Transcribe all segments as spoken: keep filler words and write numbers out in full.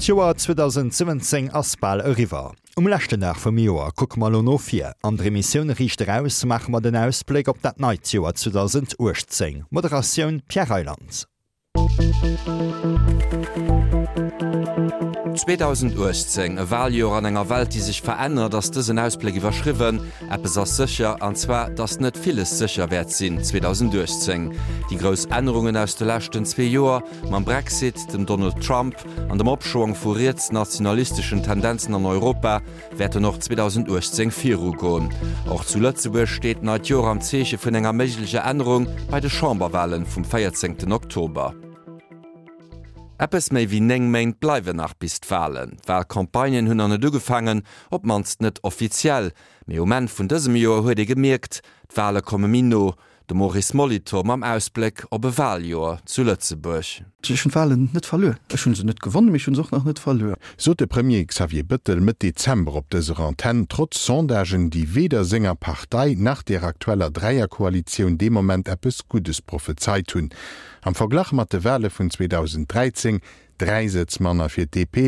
D'Joer zweedausentsiwwenzéng ass bal eriwwer. Um leschten Dag vum Joer kucke mer elo no vir. An der Emissioun Riicht Eraus maache mer den Ausbléck op dat neit Joer zweedausentuechtzéng. Moderatioun, Pierre Reyland. zweedausentuechtzéng, e Waljoer an enger Welt, déi sech verännert, ass dësen Ausbléck iwwerschriwwen. Eppes ass sécher, an zwar, datt net villes sécher wäert sinn zweedausentuechtzéng. Déi grouss Ännerungen aus de leschten zwee Joer, mam Brexit, dem Donald Trump an dem Opschwong vu rietsnationalisteschen Tendenzen an Europa, wäerten och zweedausentuechtzéng virugoen. Och zu Lëtzebuerg steet d'neit Joer am Zeeche vun enger méiglecher Ännerung bei de Chamberwalen vum véierzéngten Oktober. Eppes méi wéi néng Méint bleiwen nach bis d'Walen. D'Walcampagnen hunn nach net ugefaangen, op d'mannst net offiziell. Mee um Enn vun dësem Joer huet ee gemierkt, d'Wale komme méi no. De Maurice Molitor mam Ausbléck op e Waljoer zu Lëtzebuerg. Ech hunn d'Walen net verluer. Ech hu se net gewonnen, mee ech hu se och nach net verluer. Sot de Premier Xavier Bëttel Mëtt Dezember op dëser Antenn, trotz Sondagen, déi weder senger Partei nach der aktueller Dräierkoalitioun dee Moment eppes Guddes prophezeit hunn. Am Verglach mat de Wale vun zweedausenddräizéng Dräi Sëtz manner fir d'D P,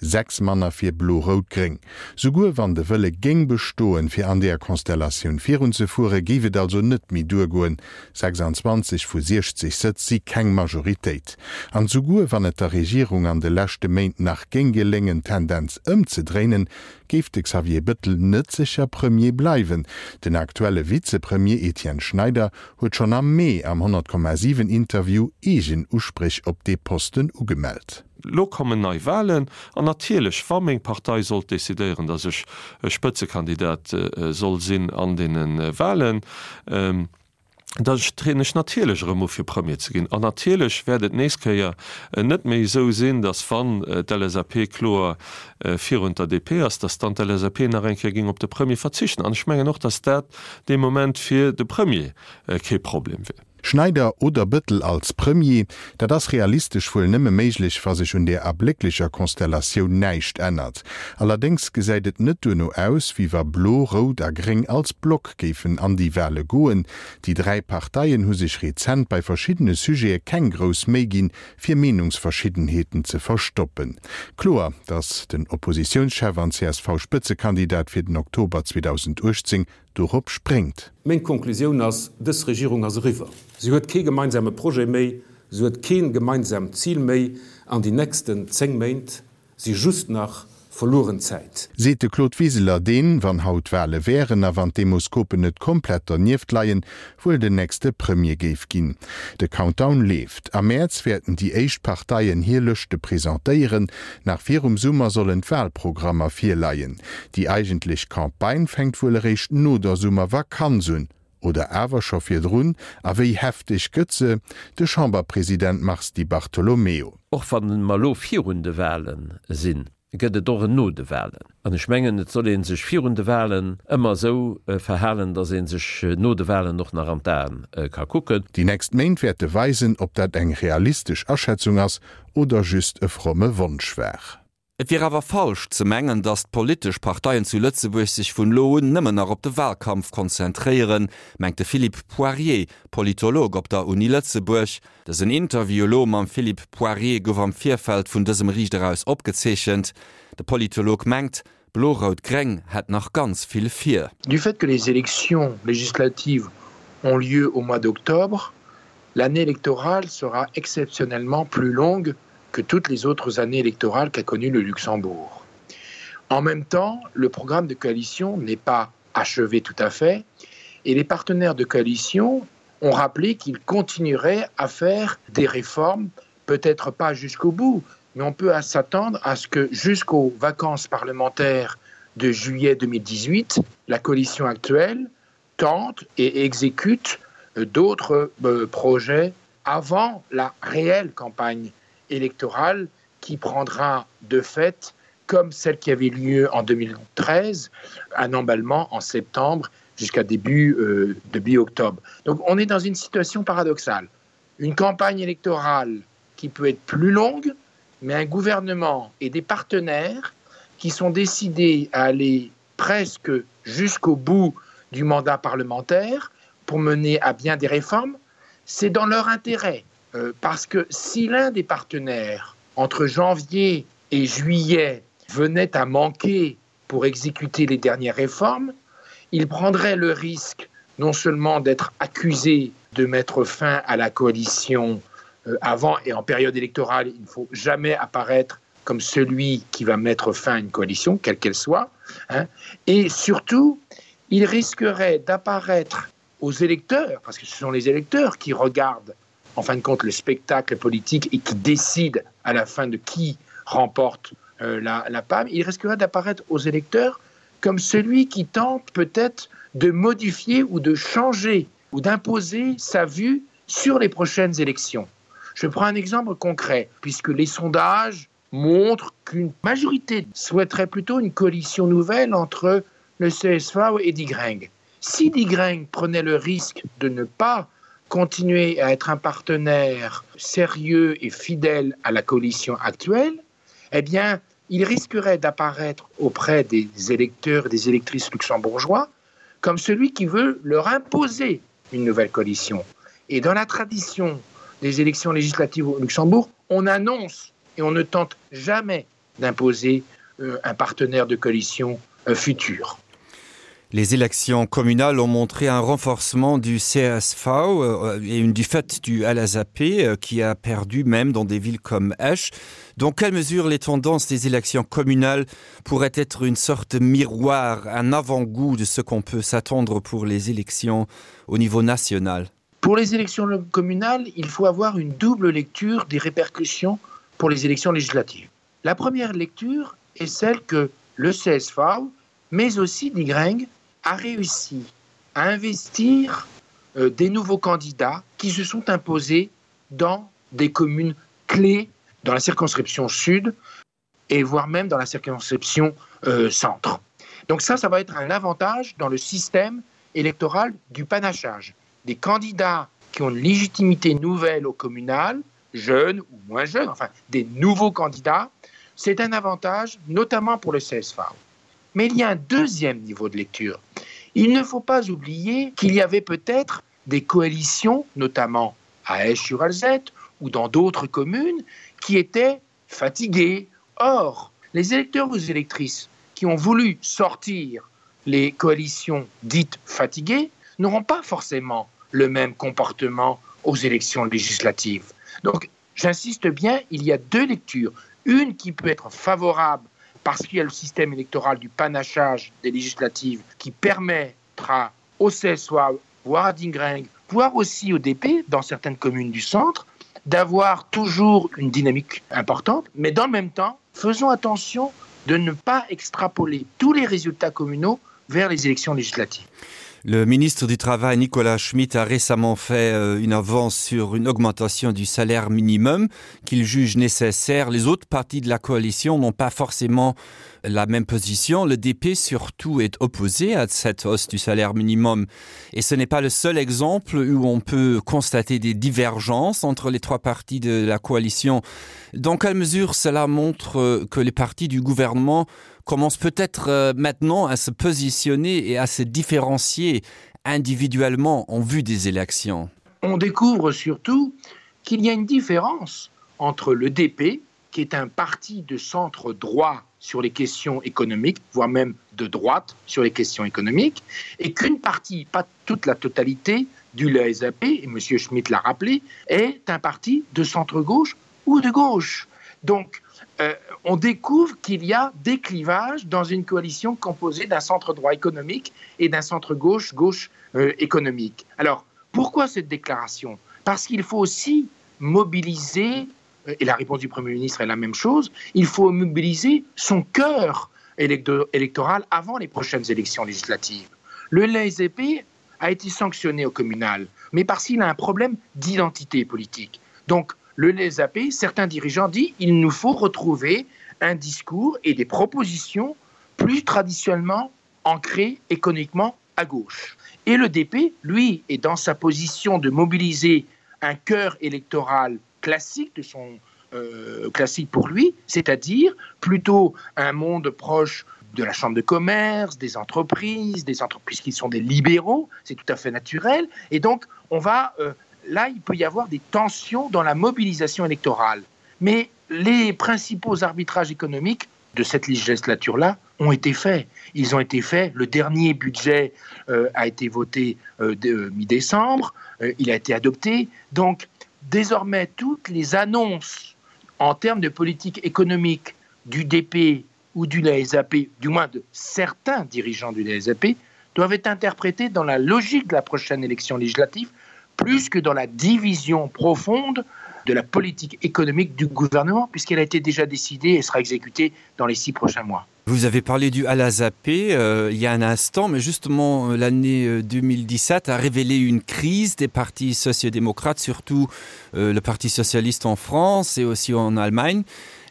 sechs manner fir Blo-Rout-Gréng. Souguer wann de Wëlle géing bestoen, fir an deeër Konstellatioun virunzefueren, géif et also net méi duergoen. sechsanzwanzeg vu siechzeg Sëtz si keng Majoritéit. An souguer wann et der Regierung an de leschte Méint nach géing geléngen, d'Tendenz ëmzedréinen, géif de Xavier Bëttel net sécher Premier bleiwen. Den aktuelle Vizepremier Etienne Schneider huet schonn am Mee am honnert Komma siwen Interview eegen Uspréch op dee Posten ugemellt. Lo kommen nei Wahlen an natierlech, wa meng Partei sollt decidéieren, datt ech Spëtzekandidat soll sinn an deene Wahlen, da trieden ech natierlech erëm u fir Premier ze ginn. An natierlech wäert et nächst Kéier net méi esou sinn, datt wann d'L S A P kloer virun der D P ass, datt dann d'L S A P nach eng Kéier géing op de Premier verzichten. An ech mengen och, datt dat dee Moment fir de Premier kee Problem wier. Schneider oder Bëttel als Premier, dat ass realistesch wuel nëmme méiglech, wa sech un der ablécklecher Konstellatioun näischt ännert. Allerdéngs gesäit et net duerno aus, wéi wa Blo, Rout a Gréng als Block géifen an déi Wale goen. Déi dräi Parteien hu sech rezent bei verschiddene Sujete keng grouss Méi ginn, fir Meenungsverschiddenheeten ze verstoppen. Kloer, datt den Oppositiounschef an C S V-Spëtzekandidat fir den Oktober zweedausenduechtzéng dorop spréngt. Meng Konklusioun ass, Dës Regierung ass eriwwer. Si huet kee gemeinsame Projet méi, si huet kee gemeinsamt Zil méi an déi nächsten zéng Méint si just nach verlueren Zäit. Seet de Claude Wiseler, deen, wann haut Wale wären a wann d'Demoskopen net komplett dernieft leien, wuel den nächste Premier géif ginn. De Countdown leeft. Am Mäerz wäerten déi éischt Parteien hir Lëschte presentéieren. Nach virum Summer sollen d'Walprogrammer virleien. Déi eigentlech Campagne fänkt wuel eréischt no der Summervakanz un. Oder awer scho virdrun? A wéi hefteg gëtt se? De Chamberpresident Mars Di Bartolomeo. Och wann mer elo virun de Walen sinn, gëtt et och en no de Walen. An ech mengen, et soll ee sech virun de Walen ëmmer esou verhalen, datt ee sech no de Walen och nach an d'Aen ka kucken. Déi nächst Méint wäerte weisen, ob dat eng realistesch Aschätzung ass oder just e fromme Wonsch war. Et wier awer falsch ze mengen, datt d'politesch Parteien zu Lëtzebuerg sech vun elo un nëmmen nach op de Walkampf konzentréieren, mengt de Philippe Poirier, Politolog op der Uni Lëtzebuerg. Dësen Interview elo mam Philippe Poirier gouf am Virfeld vun dësem Riicht Eraus opgezeechent. De Politolog mengt, Blo-Rout-Gréng hätt nach ganz vill vir. Du fait que les élections législatives ont lieu au mois d'octobre, l'année électorale sera exceptionnellement plus longue que toutes les autres années électorales qu'a connu le Luxembourg. En même temps, le programme de coalition n'est pas achevé tout à fait et les partenaires de coalition ont rappelé qu'ils continueraient à faire des réformes, peut-être pas jusqu'au bout, mais on peut s'attendre à ce que jusqu'aux vacances parlementaires de juillet deux mille dix-huit, la coalition actuelle tente et exécute d'autres euh, projets avant la réelle campagne électorale qui prendra de fait, comme celle qui avait lieu en deux mille treize, un emballement en septembre jusqu'à début, euh, début octobre. Donc on est dans une situation paradoxale. Une campagne électorale qui peut être plus longue, mais un gouvernement et des partenaires qui sont décidés à aller presque jusqu'au bout du mandat parlementaire pour mener à bien des réformes, c'est dans leur intérêt. Euh, parce que si l'un des partenaires, entre janvier et juillet venaient à manquer pour exécuter les dernières réformes, il prendrait le risque non seulement d'être accusé de mettre fin à la coalition euh, avant et en période électorale, il ne faut jamais apparaître comme celui qui va mettre fin à une coalition, quelle qu'elle soit, hein, et surtout, il risquerait d'apparaître aux électeurs, parce que ce sont les électeurs qui regardent en fin de compte le spectacle politique et qui décident à la fin de qui remporte euh, la, la PAM, il risquerait d'apparaître aux électeurs comme celui qui tente peut-être de modifier ou de changer ou d'imposer sa vue sur les prochaines élections. Je prends un exemple concret, puisque les sondages montrent qu'une majorité souhaiterait plutôt une coalition nouvelle entre le C S V et Digreng. Si Digreng prenait le risque de ne pas continuer à être un partenaire sérieux et fidèle à la coalition actuelle, eh bien, il risquerait d'apparaître auprès des électeurs et des électrices luxembourgeois comme celui qui veut leur imposer une nouvelle coalition. Et dans la tradition des élections législatives au Luxembourg, on annonce et on ne tente jamais d'imposer euh, un partenaire de coalition euh, future. Les élections communales ont montré un renforcement du C S V, euh, et une défaite du L S A P, euh, qui a perdu même dans des villes comme Esch. Dans quelle mesure les tendances des élections communales pourraient être une sorte de miroir, un avant-goût de ce qu'on peut s'attendre pour les élections au niveau national? Pour les élections communales, il faut avoir une double lecture des répercussions pour les élections législatives. La première lecture est celle que le C S V, mais aussi Die Gring, a réussi à investir, euh, des nouveaux candidats qui se sont imposés dans des communes clés dans la circonscription sud et voire même dans la circonscription, euh, centre. Donc ça, ça va être un avantage dans le système électoral du panachage. Des candidats qui ont une légitimité nouvelle au communal, jeunes ou moins jeunes, enfin des nouveaux candidats, c'est un avantage notamment pour le C S V. Mais il y a un deuxième niveau de lecture. Il ne faut pas oublier qu'il y avait peut-être des coalitions, notamment à Esch-sur-Alzette ou dans d'autres communes, qui étaient fatiguées. Or, les électeurs ou les électrices qui ont voulu sortir les coalitions dites fatiguées n'auront pas forcément le même comportement aux élections législatives. Donc, j'insiste bien, il y a deux lectures. Une qui peut être favorable parce qu'il y a le système électoral du panachage des législatives qui permettra au C S V, voire à Die Gring, voire aussi au D P, dans certaines communes du centre, d'avoir toujours une dynamique importante. Mais dans le même temps, faisons attention de ne pas extrapoler tous les résultats communaux vers les élections législatives. Le ministre du Travail, Nicolas Schmit, a récemment fait, euh, une avance sur une augmentation du salaire minimum qu'il juge nécessaire. Les autres partis de la coalition n'ont pas forcément la même position. Le D P surtout est opposé à cette hausse du salaire minimum. Et ce n'est pas le seul exemple où on peut constater des divergences entre les trois partis de la coalition. Dans quelle mesure cela montre, euh, que les partis du gouvernement commencent peut-être, euh, maintenant à se positionner et à se différencier individuellement en vue des élections? On découvre surtout qu'il y a une différence entre le D P, qui est un parti de centre droit sur les questions économiques, voire même de droite sur les questions économiques, et qu'une partie, pas toute la totalité, du L S A P, et M. Schmit l'a rappelé, est un parti de centre-gauche ou de gauche. Donc, euh, on découvre qu'il y a des clivages dans une coalition composée d'un centre droit économique et d'un centre-gauche, gauche, euh, économique. Alors, pourquoi cette déclaration ? Parce qu'il faut aussi mobiliser, et la réponse du Premier ministre est la même chose, il faut mobiliser son cœur électo-, électoral avant les prochaines élections législatives. Le L S A P a été sanctionné au communal, mais parce qu'il a un problème d'identité politique. Donc, le L S A P, certains dirigeants disent qu'il nous faut retrouver un discours et des propositions plus traditionnellement ancrées économiquement à gauche. Et le D P, lui, est dans sa position de mobiliser un cœur électoral classique de son, euh, classique pour lui, c'est-à-dire plutôt un monde proche de la chambre de commerce, des entreprises, des entreprises qui sont des libéraux, c'est tout à fait naturel. Et donc, on va, euh, là, il peut y avoir des tensions dans la mobilisation électorale. Mais Les principaux arbitrages économiques de cette législature-là ont été faits. Ils ont été faits. Le dernier budget euh, a été voté euh, euh mi-décembre, euh, il a été adopté. Donc désormais toutes les annonces en termes de politique économique du D P ou du L S A P, du moins de certains dirigeants du L S A P, doivent être interprétées dans la logique de la prochaine élection législative, plus que dans la division profonde de la politique économique du gouvernement, puisqu'elle a été déjà décidée et sera exécutée dans les six prochains mois. Vous avez parlé du L S A P euh, il y a un instant, mais justement euh, l'année deux mille dix-sept euh, a révélé une crise des partis sociodémocrates, surtout euh, le Parti socialiste en France et aussi en Allemagne.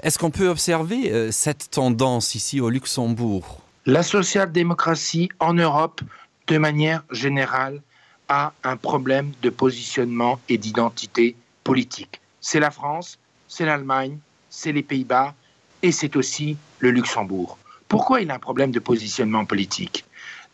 Est-ce qu'on peut observer euh, cette tendance ici au Luxembourg? La social-démocratie en Europe, de manière générale, a un problème de positionnement et d'identité politique. C'est la France, c'est l'Allemagne, c'est les Pays-Bas et c'est aussi le Luxembourg. Pourquoi il a un problème de positionnement politique?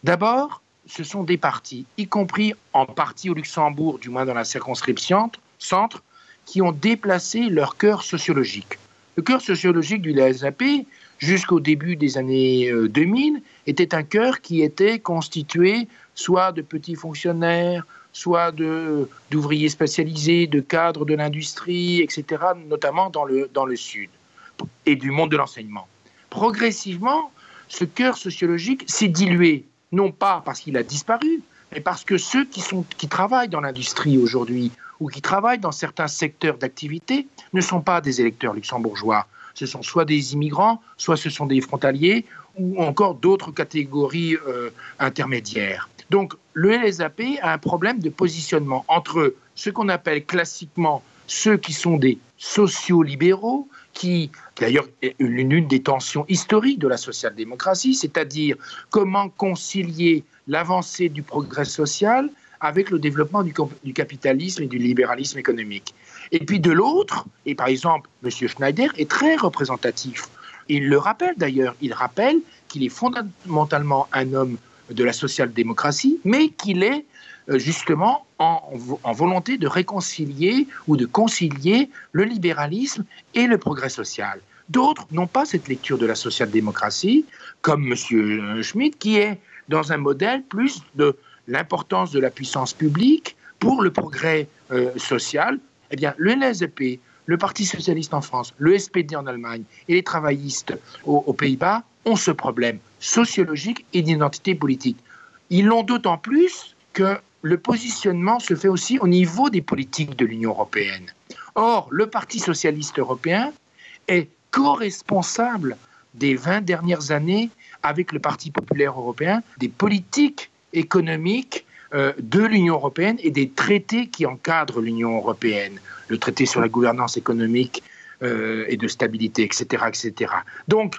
D'abord, ce sont des partis, y compris en partie au Luxembourg, du moins dans la circonscription centre, qui ont déplacé leur cœur sociologique. Le cœur sociologique du L S A P, jusqu'au début des années deux mille, euh, était un cœur qui était constitué soit de petits fonctionnaires, soit d'ouvriers spécialisés, de cadres de l'industrie, et cetera, notamment dans le, dans le sud, et du monde de l'enseignement. Progressivement, ce cœur sociologique s'est dilué, non pas parce qu'il a disparu, mais parce que ceux qui, sont, qui travaillent dans l'industrie aujourd'hui ou qui travaillent dans certains secteurs d'activité ne sont pas des électeurs luxembourgeois. Ce sont soit des immigrants, soit ce sont des frontaliers ou encore d'autres catégories euh, intermédiaires. Donc le L S A P a un problème de positionnement entre ce qu'on appelle classiquement ceux qui sont des sociaux-libéraux, qui d'ailleurs est l'une des tensions historiques de la social-démocratie, c'est-à-dire comment concilier l'avancée du progrès social avec le développement du, du capitalisme et du libéralisme économique. Et puis de l'autre, et par exemple M. Schneider est très représentatif. Il le rappelle d'ailleurs, il rappelle qu'il est fondamentalement un homme de la social-démocratie, mais qu'il est euh, justement en, en volonté de réconcilier ou de concilier le libéralisme et le progrès social. D'autres n'ont pas cette lecture de la social-démocratie, comme M. Euh, Schmidt, qui est dans un modèle plus de l'importance de la puissance publique pour le progrès euh, social. Eh bien, le L S A P, le Parti socialiste en France, le S P D en Allemagne et les travaillistes aux, aux Pays-Bas ont ce problème sociologique et d'identité politique. Ils l'ont d'autant plus que le positionnement se fait aussi au niveau des politiques de l'Union européenne. Or, le Parti socialiste européen est co-responsable des vingt dernières années avec le Parti populaire européen des politiques économiques euh, de l'Union européenne et des traités qui encadrent l'Union européenne, le traité sur la gouvernance économique euh, et de stabilité, etc., etc. Donc,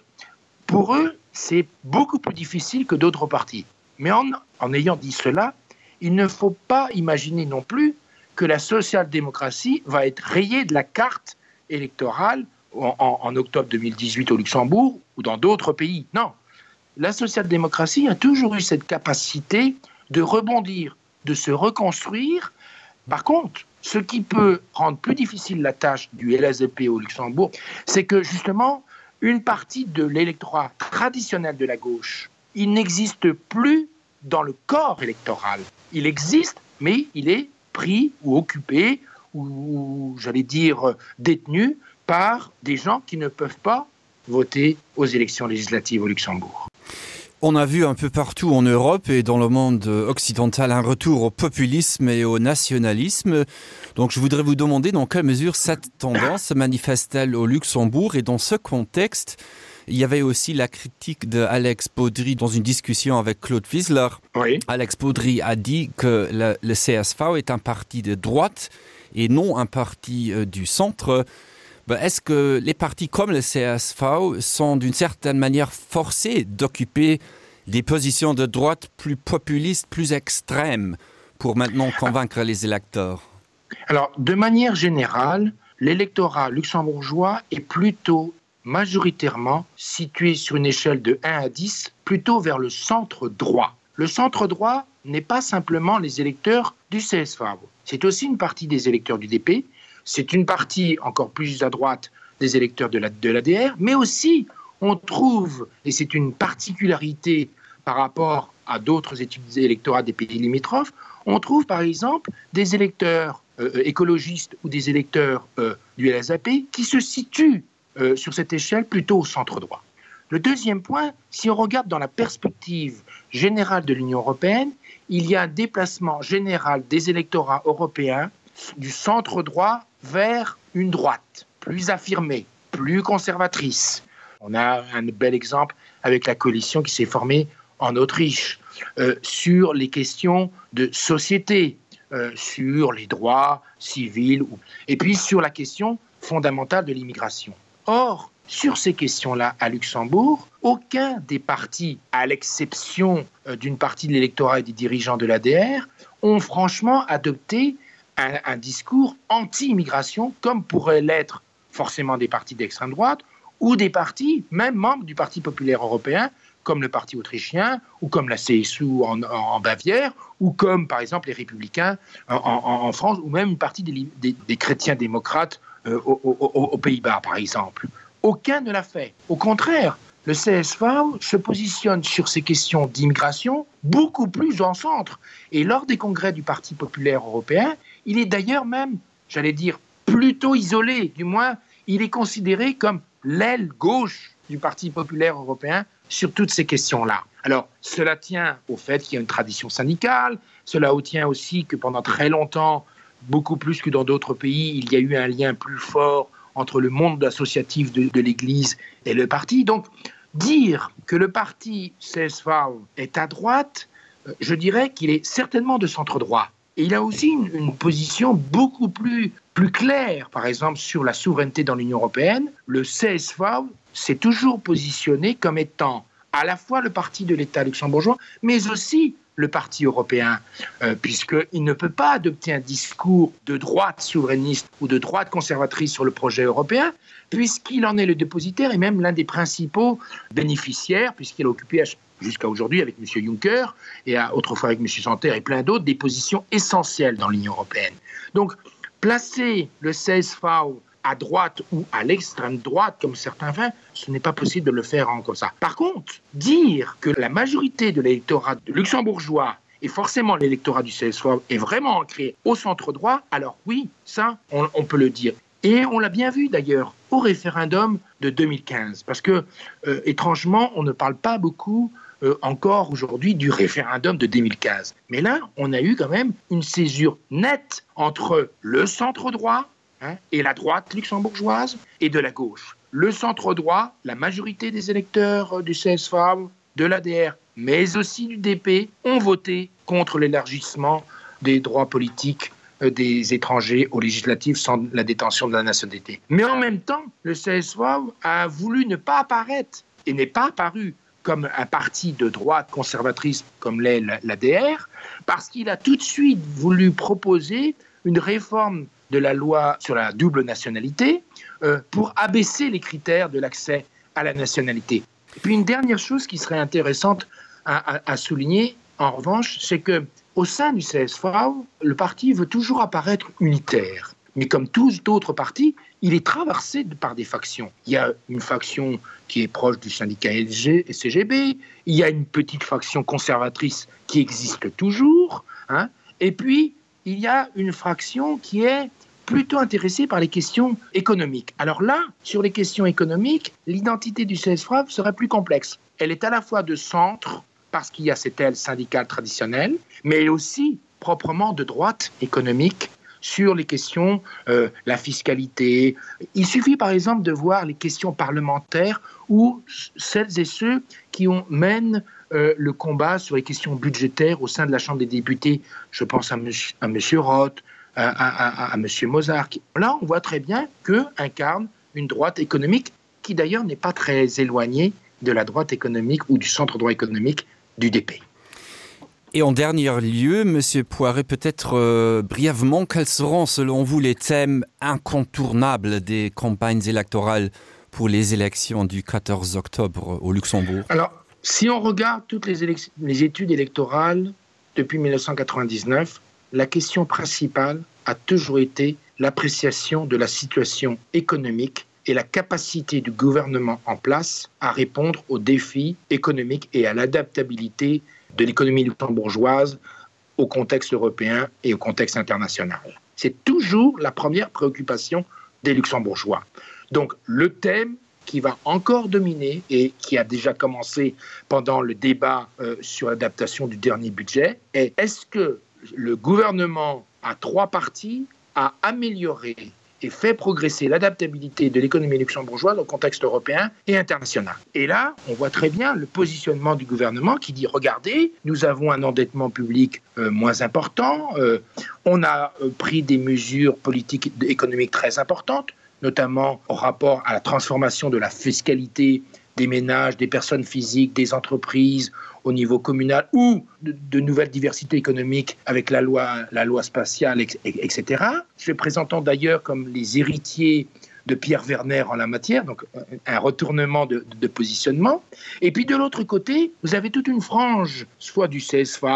pour eux, c'est beaucoup plus difficile que d'autres partis. Mais en, en ayant dit cela, il ne faut pas imaginer non plus que la social-démocratie va être rayée de la carte électorale en, en, en octobre deux mille dix-huit au Luxembourg ou dans d'autres pays. Non, la social-démocratie a toujours eu cette capacité de rebondir, de se reconstruire. Par contre, ce qui peut rendre plus difficile la tâche du L S A P au Luxembourg, c'est que justement, une partie de l'électorat traditionnel de la gauche, il n'existe plus dans le corps électoral. Il existe, mais il est pris ou occupé ou, ou j'allais dire détenu par des gens qui ne peuvent pas voter aux élections législatives au Luxembourg. On a vu un peu partout en Europe et dans le monde occidental un retour au populisme et au nationalisme. Donc je voudrais vous demander dans quelle mesure cette tendance se manifeste-t-elle au Luxembourg et dans ce contexte, il y avait aussi la critique de Alex Baudry dans une discussion avec Claude Wiesler. Oui. Alex Baudry a dit que le, le C S V est un parti de droite et non un parti euh, du centre. Est-ce que les partis comme le C S V sont d'une certaine manière forcés d'occuper des positions de droite plus populistes, plus extrêmes pour maintenant convaincre les électeurs? Alors, de manière générale, l'électorat luxembourgeois est plutôt majoritairement situé sur une échelle de un à dix, plutôt vers le centre droit. Le centre droit n'est pas simplement les électeurs du C S V. C'est aussi une partie des électeurs du D P, c'est une partie encore plus à droite des électeurs de la de l'ADR, mais aussi on trouve, et c'est une particularité par rapport à d'autres études électorales des pays limitrophes, on trouve par exemple des électeurs euh, écologistes ou des électeurs euh, du LSAP qui se situent euh, sur cette échelle plutôt au centre droit. Le deuxième point, si on regarde dans la perspective générale de l'Union européenne, il y a un déplacement général des électorats européens du centre droit vers une droite plus affirmée, plus conservatrice. On a un bel exemple avec la coalition qui s'est formée en Autriche euh, sur les questions de société, euh, sur les droits civils ou... et puis sur la question fondamentale de l'immigration. Or, sur ces questions-là à Luxembourg, aucun des partis, à l'exception euh, d'une partie de l'électorat et des dirigeants de l'ADR, ont franchement adopté un, un discours anti-immigration comme pourrait l'être forcément des partis d'extrême droite ou des partis, même membres du Parti populaire européen, comme le parti autrichien ou comme la CSU en, en, en Bavière ou comme par exemple les républicains en, en, en France ou même une partie des, des, des chrétiens démocrates euh, aux, aux, aux Pays-Bas par exemple. Aucun ne l'a fait. Au contraire, le C S V se positionne sur ces questions d'immigration beaucoup plus en centre. Et lors des congrès du Parti populaire européen, il est d'ailleurs même, j'allais dire, plutôt isolé, du moins il est considéré comme l'aile gauche du Parti populaire européen sur toutes ces questions-là. Alors cela tient au fait qu'il y a une tradition syndicale, cela tient aussi que pendant très longtemps, beaucoup plus que dans d'autres pays, il y a eu un lien plus fort entre le monde associatif de, de l'Église et le parti. Donc dire que le parti C S V est à droite, euh, je dirais qu'il est certainement de centre droit. Et il a aussi une, une position beaucoup plus, plus claire, par exemple sur la souveraineté dans l'Union européenne. Le C S V s'est toujours positionné comme étant à la fois le parti de l'État luxembourgeois, mais aussi le parti européen, euh, puisqu'il ne peut pas adopter un discours de droite souverainiste ou de droite conservatrice sur le projet européen, puisqu'il en est le dépositaire et même l'un des principaux bénéficiaires, puisqu'il a occupé jusqu'à aujourd'hui avec M. Juncker et a, autrefois avec M. Santer et plein d'autres des positions essentielles dans l'Union européenne. Donc placer le C S V à droite ou à l'extrême droite comme certains font, ce n'est pas possible de le faire en comme ça. Par contre, dire que la majorité de l'électorat luxembourgeois et forcément l'électorat du C S V est vraiment ancré au centre droit, alors oui, ça on, on peut le dire. Et on l'a bien vu d'ailleurs au référendum de deux mille quinze parce que euh, étrangement on ne parle pas beaucoup euh, encore aujourd'hui du référendum de deux mille quinze. Mais là, on a eu quand même une césure nette entre le centre droit hein, et la droite luxembourgeoise et de la gauche. Le centre droit, la majorité des électeurs du C S V, de l'ADR, mais aussi du D P ont voté contre l'élargissement des droits politiques euh, des étrangers aux législatives sans la détention de la nationalité. Mais en même temps, le C S V a voulu ne pas apparaître et n'est pas apparu comme un parti de droite conservatrice comme l'est l'ADR, parce qu'il a tout de suite voulu proposer une réforme de la loi sur la double nationalité euh, pour abaisser les critères de l'accès à la nationalité. Et puis une dernière chose qui serait intéressante à, à, à souligner en revanche, c'est que au sein du C S V, le parti veut toujours apparaître unitaire. Mais comme tous d'autres partis, il est traversé par des factions. Il y a une faction qui est proche du syndicat L G et C G B, il y a une petite faction conservatrice qui existe toujours, hein, et puis il y a une fraction qui est plutôt intéressée par les questions économiques. Alors là, sur les questions économiques, l'identité du C S F serait plus complexe. Elle est à la fois de centre, parce qu'il y a cette aile syndicale traditionnelle, mais elle est aussi proprement de droite économique sur les questions euh, la fiscalité. Il suffit par exemple de voir les questions parlementaires ou celles et ceux qui ont mènent euh, le combat sur les questions budgétaires au sein de la Chambre des députés. Je pense à monsieur, à monsieur Roth, à, à, à, à monsieur Mozart. Là, on voit très bien que incarne une droite économique qui d'ailleurs n'est pas très éloignée de la droite économique ou du centre droit économique du D P. Et en dernier lieu, Monsieur Poiret, peut-être euh, brièvement, quels seront selon vous les thèmes incontournables des campagnes électorales pour les élections du quatorze octobre au Luxembourg? Alors, si on regarde toutes les, les études électorales depuis mille neuf cent quatre-vingt-dix-neuf, la question principale a toujours été l'appréciation de la situation économique est la capacité du gouvernement en place à répondre aux défis économiques et à l'adaptabilité de l'économie luxembourgeoise au contexte européen et au contexte international. C'est toujours la première préoccupation des luxembourgeois. Donc le thème qui va encore dominer et qui a déjà commencé pendant le débat euh, sur l'adaptation du dernier budget est est-ce que le gouvernement à trois parties a amélioré et fait progresser l'adaptabilité de l'économie luxembourgeoise au contexte européen et international. Et là, on voit très bien le positionnement du gouvernement qui dit regardez, nous avons un endettement public euh, moins important, euh, on a euh, pris des mesures politiques économiques très importantes, notamment au rapport à la transformation de la fiscalité des ménages, des personnes physiques, des entreprises au niveau communal ou de, de nouvelles diversités économiques avec la loi, la loi spatiale, etc. Se présentant d'ailleurs comme les héritiers de Pierre Werner en la matière, donc un retournement de, de positionnement. Et puis de l'autre côté, vous avez toute une frange, soit du C S V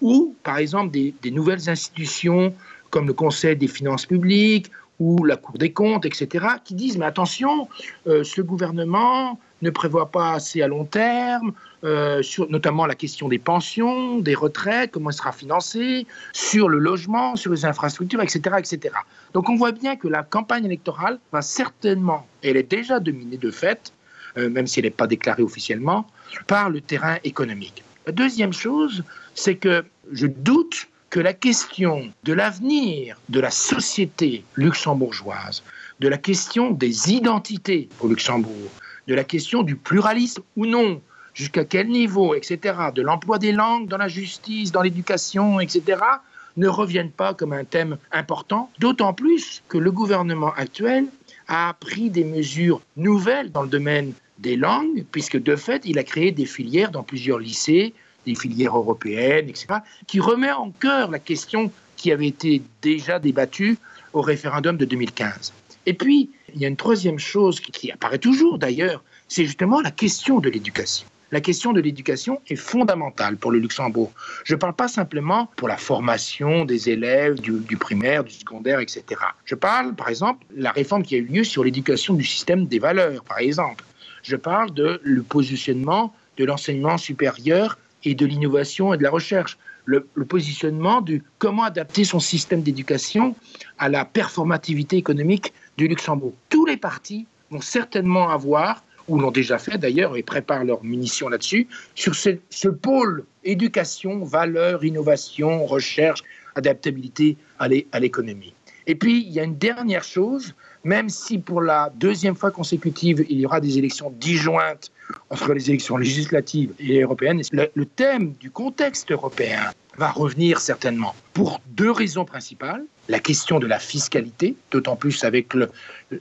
ou par exemple des, des nouvelles institutions comme le Conseil des finances publiques ou la Cour des comptes, et cetera, qui disent mais attention, euh, ce gouvernement ne prévoit pas assez à long terme, euh, sur notamment la question des pensions, des retraites, comment elle sera financée, sur le logement, sur les infrastructures, et cetera, et cetera. Donc on voit bien que la campagne électorale va certainement, et elle est déjà dominée de fait, euh, même si elle n'est pas déclarée officiellement, par le terrain économique. La deuxième chose, c'est que je doute que la question de l'avenir de la société luxembourgeoise, de la question des identités au Luxembourg, de la question du pluralisme ou non, jusqu'à quel niveau, et cetera, de l'emploi des langues dans la justice, dans l'éducation, et cetera, ne reviennent pas comme un thème important, d'autant plus que le gouvernement actuel a pris des mesures nouvelles dans le domaine des langues, puisque de fait, il a créé des filières dans plusieurs lycées, des filières européennes, et cetera, qui remet en cœur la question qui avait été déjà débattue au référendum de deux mille quinze. Et puis, il y a une troisième chose qui, qui apparaît toujours d'ailleurs, c'est justement la question de l'éducation. La question de l'éducation est fondamentale pour le Luxembourg. Je ne parle pas simplement pour la formation des élèves du, du primaire, du secondaire, et cetera. Je parle, par exemple, de la réforme qui a eu lieu sur l'éducation du système des valeurs, par exemple. Je parle de le positionnement de l'enseignement supérieur et de l'innovation et de la recherche. Le, le positionnement du comment adapter son système d'éducation à la performativité économique du Luxembourg. Tous les partis vont certainement avoir, ou l'ont déjà fait d'ailleurs, et préparent leurs munitions là-dessus, sur ce, ce pôle éducation, valeur, innovation, recherche, adaptabilité à l'é-, à l'économie. Et puis, il y a une dernière chose, même si pour la deuxième fois consécutive, il y aura des élections disjointes entre les élections législatives et européennes, le, le thème du contexte européen va revenir certainement pour deux raisons principales. La question de la fiscalité, d'autant plus avec le,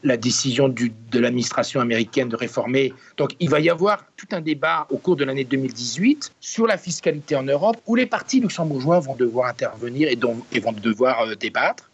la décision du, de l'administration américaine de réformer. Donc il va y avoir tout un débat au cours de l'année deux mille dix-huit sur la fiscalité en Europe, où les partis luxembourgeois vont devoir intervenir et, dont, et vont devoir, euh, débattre.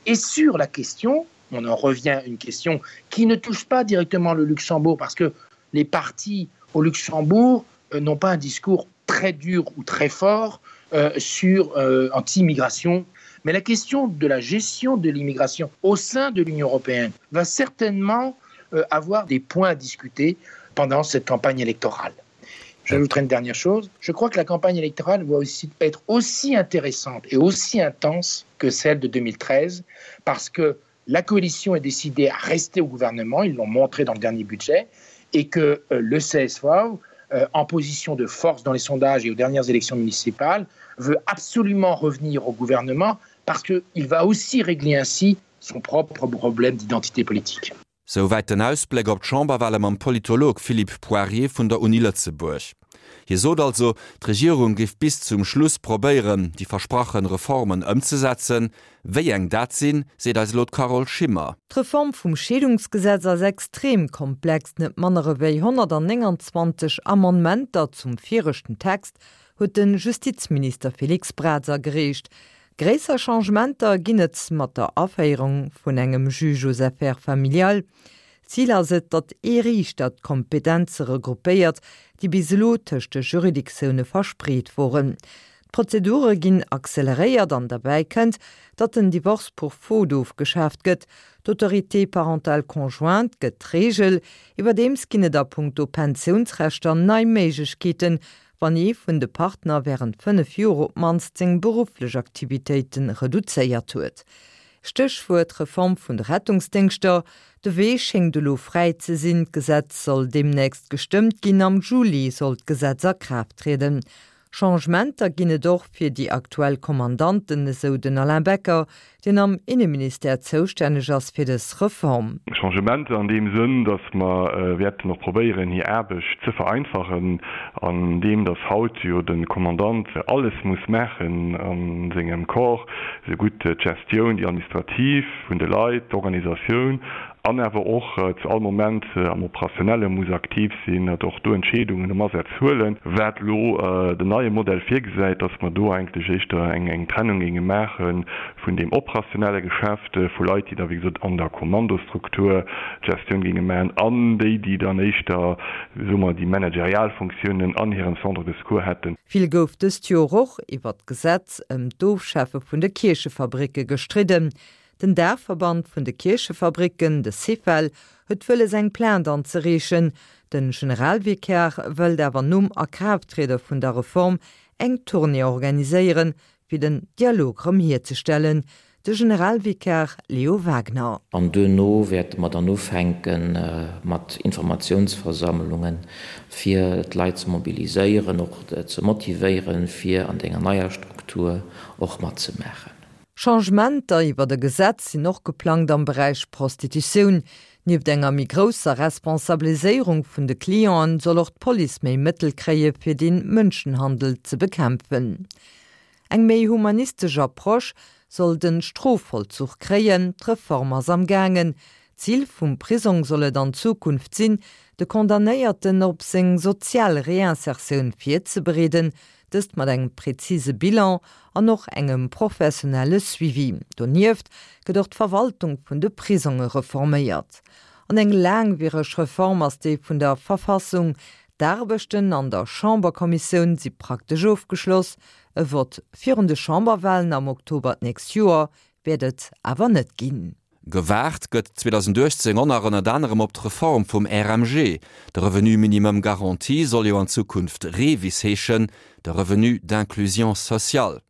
Et sur la question, on en revient à une question qui ne touche pas directement le Luxembourg, parce que les partis au Luxembourg, euh, n'ont pas un discours très dur ou très fort, euh, sur, euh, anti-immigration. Mais la question de la gestion de l'immigration au sein de l'Union européenne va certainement, euh, avoir des points à discuter pendant cette campagne électorale. J'ajouterai une dernière chose. Je crois que la campagne électorale va aussi être aussi intéressante et aussi intense que celle de deux mille treize, parce que la coalition est décidée à rester au gouvernement, ils l'ont montré dans le dernier budget, et que, euh, le C S V, euh, en position de force dans les sondages et aux dernières élections municipales, veut absolument revenir au gouvernement parce qu'il va aussi régler ainsi son propre problème d'identité politique. Souwäit den Ausbléck op d'Chamberwale mam Politolog Philippe Poirier vun der Uni Lëtzebuerg. Hie sot also, d'Regierung géif bis zum Schluss probéieren, déi versproche Reformen ëmzesetzen. Wéi eng dat sinn, seet eis elo d'Carole Schimmer. D'Reform vum Scheedungsgesetz ass extrem komplex, net manner ewéi honnertneunundzwanzeg Amendementer zum viregten Text huet den Justizminister Felix Braz agereecht. Gréisser Changementer ginn et mat der Aféierung vun engem Juge aux affaires familiales. Zil ass et, datt ee Riichter d'Kompetenze regroupéiert, déi bis elo tëscht de Juridictioune verspreet woren. D'Prozedure ginn acceleréiert an derbäi kënnt, datt den Divorce pour faute ofgeschaaft gëtt. D'Autorité parentale conjointe gëtt d'Reegel. Iwwerdeems ginn et a punkto Pensiounsrechter nei Méiglechkeeten, wann ee vun de Partner wärend fënnef Joer op d'mannst seng berufflech Aktivitéite reduzéiert huet. Stéchwuert, Reform vun de Rettungsdéngschter. De Wee schéngt elo fräi ze sinn, d'Gesetz soll deemnächst gestëmmt ginn, am Juli soll d'Gesetz a Kraaft trieden. Changementer ginn et och fir déi aktuell Kommandanten, esou den Alain Becker, deen am Inneministère zoustänneg ass fir dës Reform. Changementer an deem Sënn, datt mer wäerten och probéieren, hir Aarbecht ze vereinfachen, an deem datt haut jo de Kommandant alles muss maachen a sengem Corps, esougutt d'Gestioun, déi administrativ vun de Leit, d'Organisatioun an awer och zu all Moment am Operationelle muss aktiv sinn, och do Entscheedungen am Asaz huelen, wat elo den neie Modell virgesäit, dass mer do eigentlech éischter eng Trennung géinge maache vun deem operationelle Geschäft, vu Leit, déi da wéi gesot an der Kommandostruktur d'Gestioun géinge maachen, an déi, déi dann éischter, soe mer, déi managerial Funktiounen an hirem Centre de secours hätten. Vill gouf dëst Joer och iwwert d'Gesetz ëm d'Ofschafe vun de Kierchefabricke gestridden. Den Daachverband vun de Kierchefabricken, de Syfel, huet wëlles eng Plainte anzereechen. De Generalvikar wëllt awer nom Akraafttriede vun der Reform eng Tournée organiséieren, fir den Dialog rëm hierzestellen. De Generalvikar Leo Wagner. An duerno wäerte mer dann ufänke mat Informatiounsversammlungen, fir d'Leit ze mobiliséieren, och ze motivéieren, fir an denger neier Struktur och matzemaachen. Changementer iwwer e Gesetz sinn och geplangt am Beräich Prostitutioun. Nieft enger méi grousser Responsabiliséierung vun de Clienten soll och d'Police méi Mëttel kréie fir de Mënschenhandel ze bekämpfen. Eng méi humanistesch Approche soll de Strofvollzuch kréien, d'Reform ass am gaangen. Zil vum Prisong soll et an Zukunft sinn, de Condamnéierten op seng sozial Reinsertioun virzebereeden, dëst mat engem präzise Bilan an och engem professionelle Suivi. Donieft gëtt och d'Verwaltung vun de Prisonge reforméiert. An eng laangwiereg Reform ass déi vun der Verfassung. D'Aarbechten an der Chamberkommissioun si praktesch ofgeschloss. E Vott virun de Chamberwalen am Oktober d'nächst Joer wäert et awer net ginn. Gewaart gëtt zweedausenduechtzéng och nach ënnert anerem op d'Reform vum R M G. De Revenu minimum garanti soll jo an Zukunft REVIS heeschen, de Revenu d'inclusion sociale.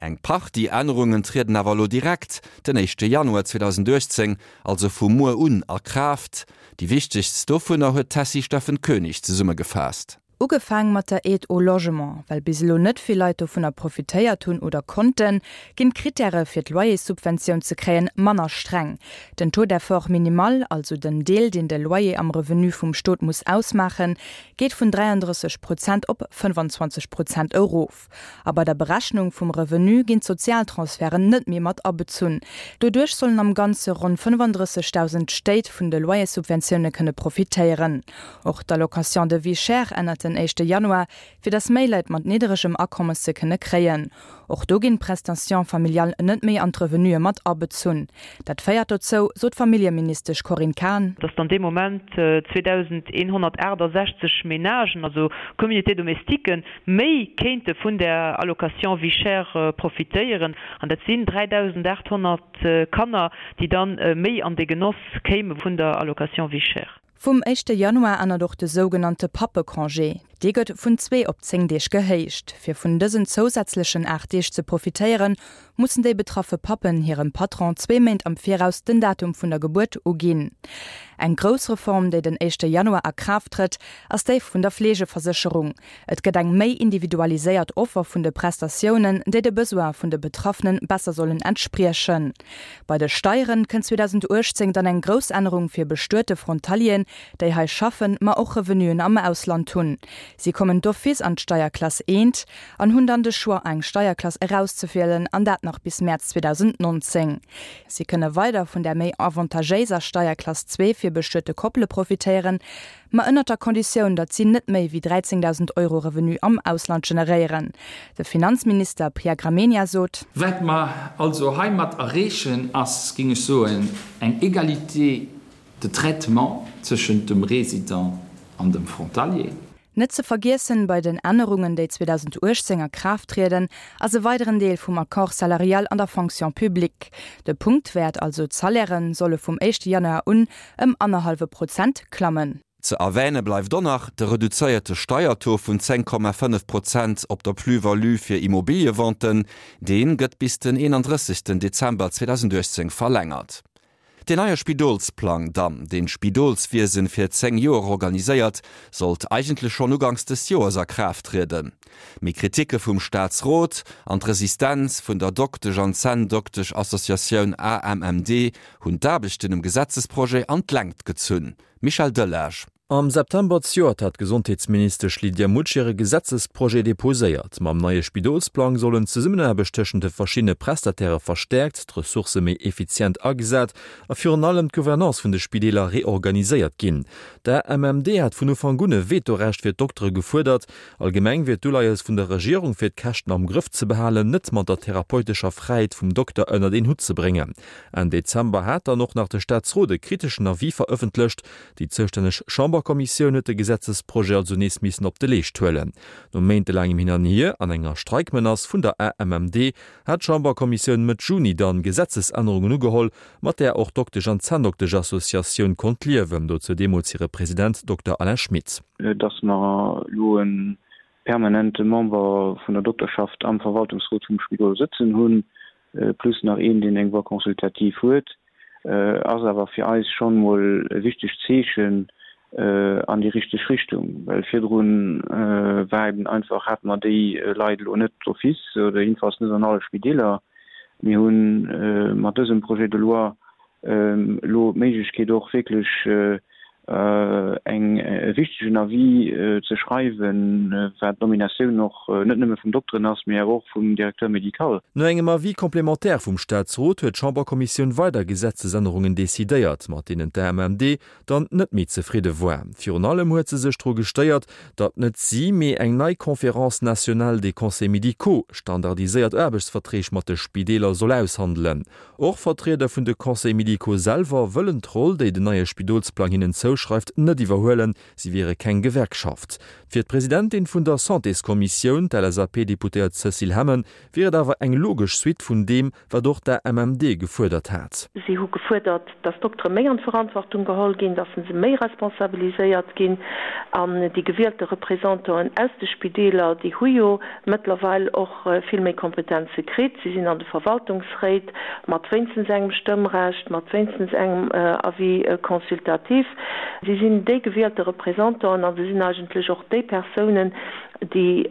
Eng Partie Ännerungen trieden awer elo direkt den éischte Januar zweedausenduechtzéng, also vu muer un, a Kraaft. Déi wichtegst dovunner huet d'Tessy Steffen Koenig zesummegefaasst. Ugefaang mat der Aide au logement. Well bis elo net vill Leit dovunner profitéiert hunn oder konnten, ginn d'Krittäre fir d'Loyerssubventioun ze kréien manner streng. Den Taux d'effort minimal, also den Deel deen de Loyer am Revenu vum Stot muss ausmaachen, geet vun dräiandrësseg Prozent op fënnfanzwanzeg Prozent erof. A bei der Berechnung vum Revenu ginn d'Sozialtransferten net méi mat abezunn. Doduerch sollen am Ganze ronn fënnfandrëssegdausend Stéit vun de Loyerssubventioune kënne profitéieren. Och d'Allocation de vie chère ännert den éischte Januar, fir dass méi Leit mat nidderegem Akommes se kënne kréien. Och do ginn d'Prestations familiales net méi an d'Revenue mat abezunn. Dat féiert dozou, sot d'Familljeministesch Corinne Cahen, dass dann dee Moment zweedausendeenhonnertaachtasechzeg Menagen, also Communautés domestiques, méi kéinte vun der Allocation vie chère profitéieren. An dat sinn dräidausendaathonnert Kanner, déi dann méi an de Genoss kéime vun der Allocation vie chère. Vum éischte Januar ännert och de sougenannte Pappecongé. Dee gëtt vun zwee op zéng Deeg gehéicht. Fir vun dësen zousätzlechen aacht Deeg ze profitéieren, mussen déi betraffe Pappen hirem Patron zwee Méint am Viraus den Datum vun der Gebuert uginn. Eng grouss Reform, déi den éischte Januar a Kraaft trëtt, ass déi vun der Fleegeversécherung. Et gëtt eng méi individualiséiert Offer vun de Prestatiounen, déi de Besoine vun de Betraffene besser sollen entspriechen. Bei de Steieren kënnt zweedausenduechtzéng dann eng grouss Ännerung fir bestuete Frontalieren, déi hei schaffen, ma och Revenuen am Ausland hunn. Si kommen d'office an d'Steierklass eent an hunn dann de Choix eng Steierklass erauszewielen, an dat nach bis Mäerz zweedausendnonzéng. Si kënne weider vun der méi avantagéiser Steierklass zwee fir bestuete Koppele profitéieren, ma ënnert der Konditioun, datt si net méi wéi dräizéngdausend Euro Revenu am Ausland generéieren. De Finanzminister Pierre Gramegna sot. Wat mer also heimat erreechen, ass, géing ech soen, eng Égalité de traitement tëschent dem Résident an dem Frontalier. Net ze vergiessen bei den Ännerungen, déi zweedausenduechtzéng a Kraaft trieden, ass e weideren Deel vum Accord salarial an der Fonction publique. De Punktwäert, also d'Salairen, solle vum éischte Januar un ëm annerhallwe Prozent klammen. Ze erwäne bleift och nach de reduzéierte Steiertaux vun zéng Komma fënnef Prozent op der Plus-value fir Immobiliëventen. Dee gëtt bis den eenandrëssegsten Dezember zweedausenduechtzéng verlängert. Deen neie Spidolsplang dann, deen d'Spidolswiesen fir zéng Joer organiséiert, sollt eigentlech schonn uganks des Joers a Kraaft trieden. Mee Kritike vum Staatsrot an d'Resistenz vun der Doktesch an Zänndoktesch-Associatioun A M M D hunn d'Aarbechten um Gesetzesprojet an d'Längt gezunn. Michel Delage. Am September zejoert hat d'Gesondheetsministesch Lydia Mutsch hire Gesetzesprojet deposéiert. Mam neie Spidolsplang sollen d'Zesummenaarbecht tëschent de verschiddene Prestatairë verstäerkt, d'Ressourcë méi effizient agesat a virun allem d'Gouvernance vun de Spideeler reorganiséiert ginn. D'A M M D hat vun Ufank un e Vetorecht fir d'Doktere gefuerdert. Allgemeng wier d'Uleies vun der Regierung, fir d'Käschten am Grëff ze behalen, net mat der therapeutescher Fräiheet vum Dokter ënnert een Hutt ze bréngen. Enn Dezember hat dann och nach de Staatsrot e kriteschen Avis verëffentlecht. Déi zoustänneg Chamberkommissioun huet de Gesetzesprojet also nees missen op de Leescht huelen. No méintelaangem Hin an Hier an enger Streikmenace vun der A M M D hat d'Chamberkommissioun Mëtt Juni dann Gesetzesännerungen ugeholl, mat där och d'Doktesch an Zänndoktesch-Associatioun konnt liewen, dozou deemools hire President Dokter Alain Schmit. Dass mer elo e permanente Member vun der Dokterschaft am Verwaltungsrot vum Spidol sëtzen hunn, plus nach een, deen eng Voix consultative huet, ass awer fir eis schonn emol e wichtegt Zeechen an déi richteg Richtung, well virdrun war eben einfach, hate mer déi Leit elo net d'office oder jedenfalls net an alle Spideeler. Mir hu mat dësem Projet de loi elo d'Méiglechkeet och wierklech eng e wichtegen Avis ze schreiwen, wat d'Nominatioun och net nëmme vum Dokteren ass, mee awer och vum Directeur médical. No engem Avis complémentaire vum Staatsrot huet d'Chamberkommissioun weider Gesetzesännerungen decidéiert, mat deenen d'A M M D dann net méi zefridde war. Virun allem huet se sech dru gestéiert, datt net si, mee eng nei Conférence nationale des conseils médicaux standardiséiert Aarbechtsverträg mat de Spideeler soll aushandelen. Och Vertrieder vun de Conseils médicaux selwer wëllen d'Roll, déi den neie Spidolsplang hinnen zouschreift, net iwwerhuelen, si wiere keng Gewerkschaft. Fir d'Presidentin vun der Santéskommissioun, d'L S A P-Deputéiert Cécile Hemmen, wier et awer eng logesch Suite vun deem, wat och d'A M M D gefuerdert hat. Si hu gefuerdert, dass d'Doktere méi an d'Verantwortung geholl ginn, dass se méi responsabiliséiert ginn an déi gewielte Représentanten aus de Spideeler, déi hu jo mëttlerweil och vill méi Kompetenze kritt. Si sinn an de Verwaltungsréit mat wéinstens engem Stëmmrecht, mat wéinstens engem Avis consultatif. Si sinn déi gewielte Représentanten an se sinn eigentlech och déi Persounen, déi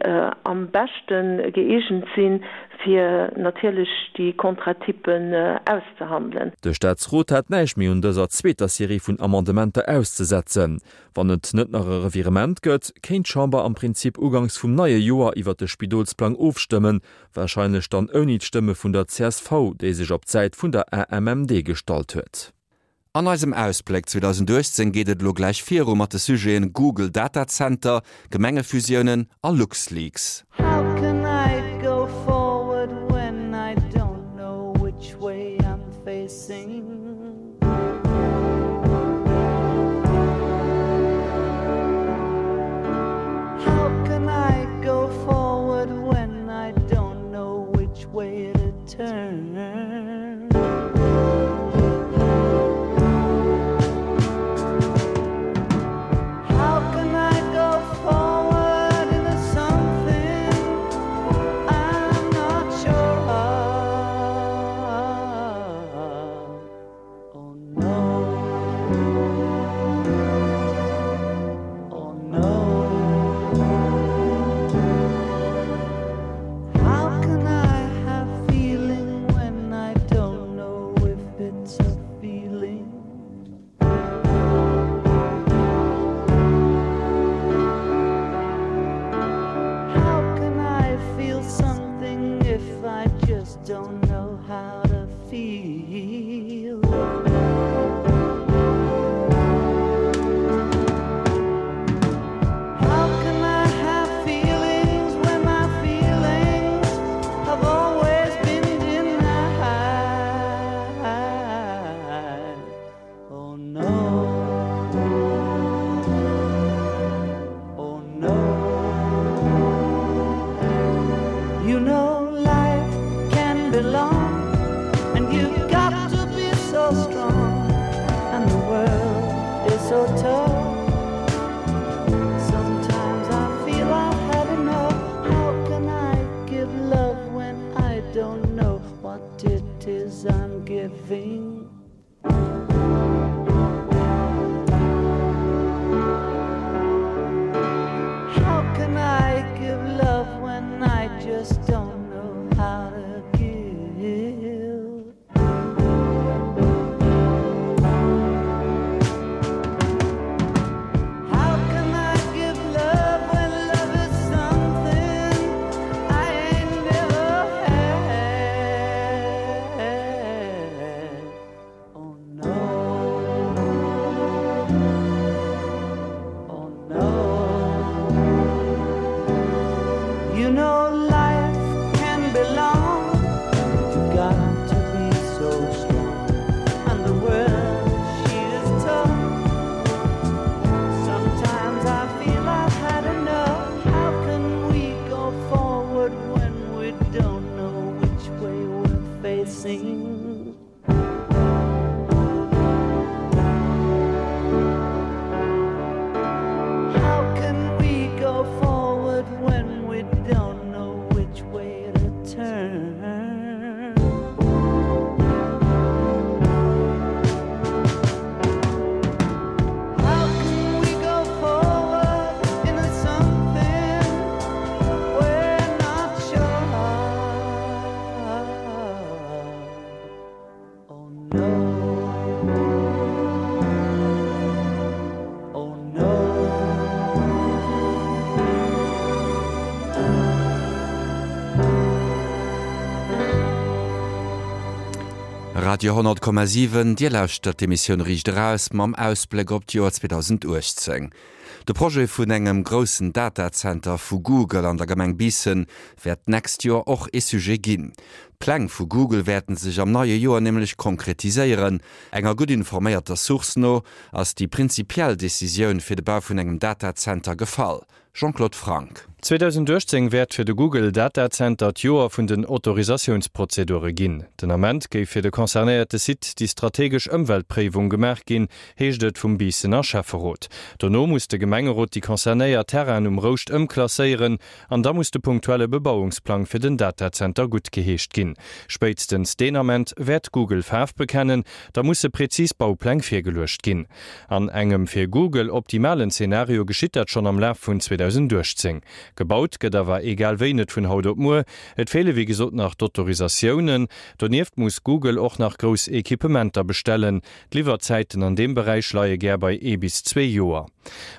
am beschte gëeegent sinn, fir natierlech déi Contrat-typen auszehandelen. De Staatsrot hat näischt méi un dëser zweeter Serie vun Amendementer auszesetzen. Wann et net nach e Revirement gëtt, kéint d'Chamber am Prinzip uganks vum neie Joer iwwer de Spidolsplang ofstëmmen, warscheinlech dann ouni d'Stëmme vun der C S V, déi sech op d'Säit vun der A M M D gestallt huet. An eisem Ausbléck zweedausenduechtzéng geet et elo gläich viru mat de Sujeten Google Datacenter, Gemengefusiounen a LuxLeaks. How can I go forward when I don't know which way I'm facing? How can I go forward when I don't know which way to turn? How can I go forward into something Radio honnert Komma siwen, Dir lauschtert d'Emissioun Riicht Eraus mam Ausbléck op d'Joer zweedausendachtzéng. De Projet vun engem groussen Datazenter vu Google an der Gemeng Biissen wäert d'nächst Joer och ee Sujet ginn. D'Pläng vu Google wäerten sech am neie Joer nämlech konkretiséieren. Enger gutt informéierter Source no ass déi prinzipiell Decisioun fir de Bau vun engem Datazenter gefall. Jean-Claude Franck. zweedausendachtzéng wäert fir de Google Datazenter d'Joer vun den Autorisatiounsprozedure ginn. Den Ament géif fir de concernéierte Site déi strategesch Ëmweltpréiwung gemaach ginn, heescht et vum Biissener Schäfferot. Dono muss de Gemengerot déi concernéiert Terrainen um Rouscht ëmklasséieren an da muss de punktuelle Bebauungsplang fir den Datazenter guttgeheescht ginn. Spéitstens deen Ament wäert Google Faarf bekennen, da musse prezis Baupläng virgeluecht ginn. An engem fir Google optimalen Zenario geschitt dat schonn am Laf vun zweedausendachtzéng. Gebaut gëtt awer egal wéi net vun haut op muer. Et feele wéi gesot nach d'Autorisatiounen. Donieft muss Google och nach grouss Equipementer bestellen. D'Liwwerzäiten an deem Beräich leie gär bei ee bis zwee Joer.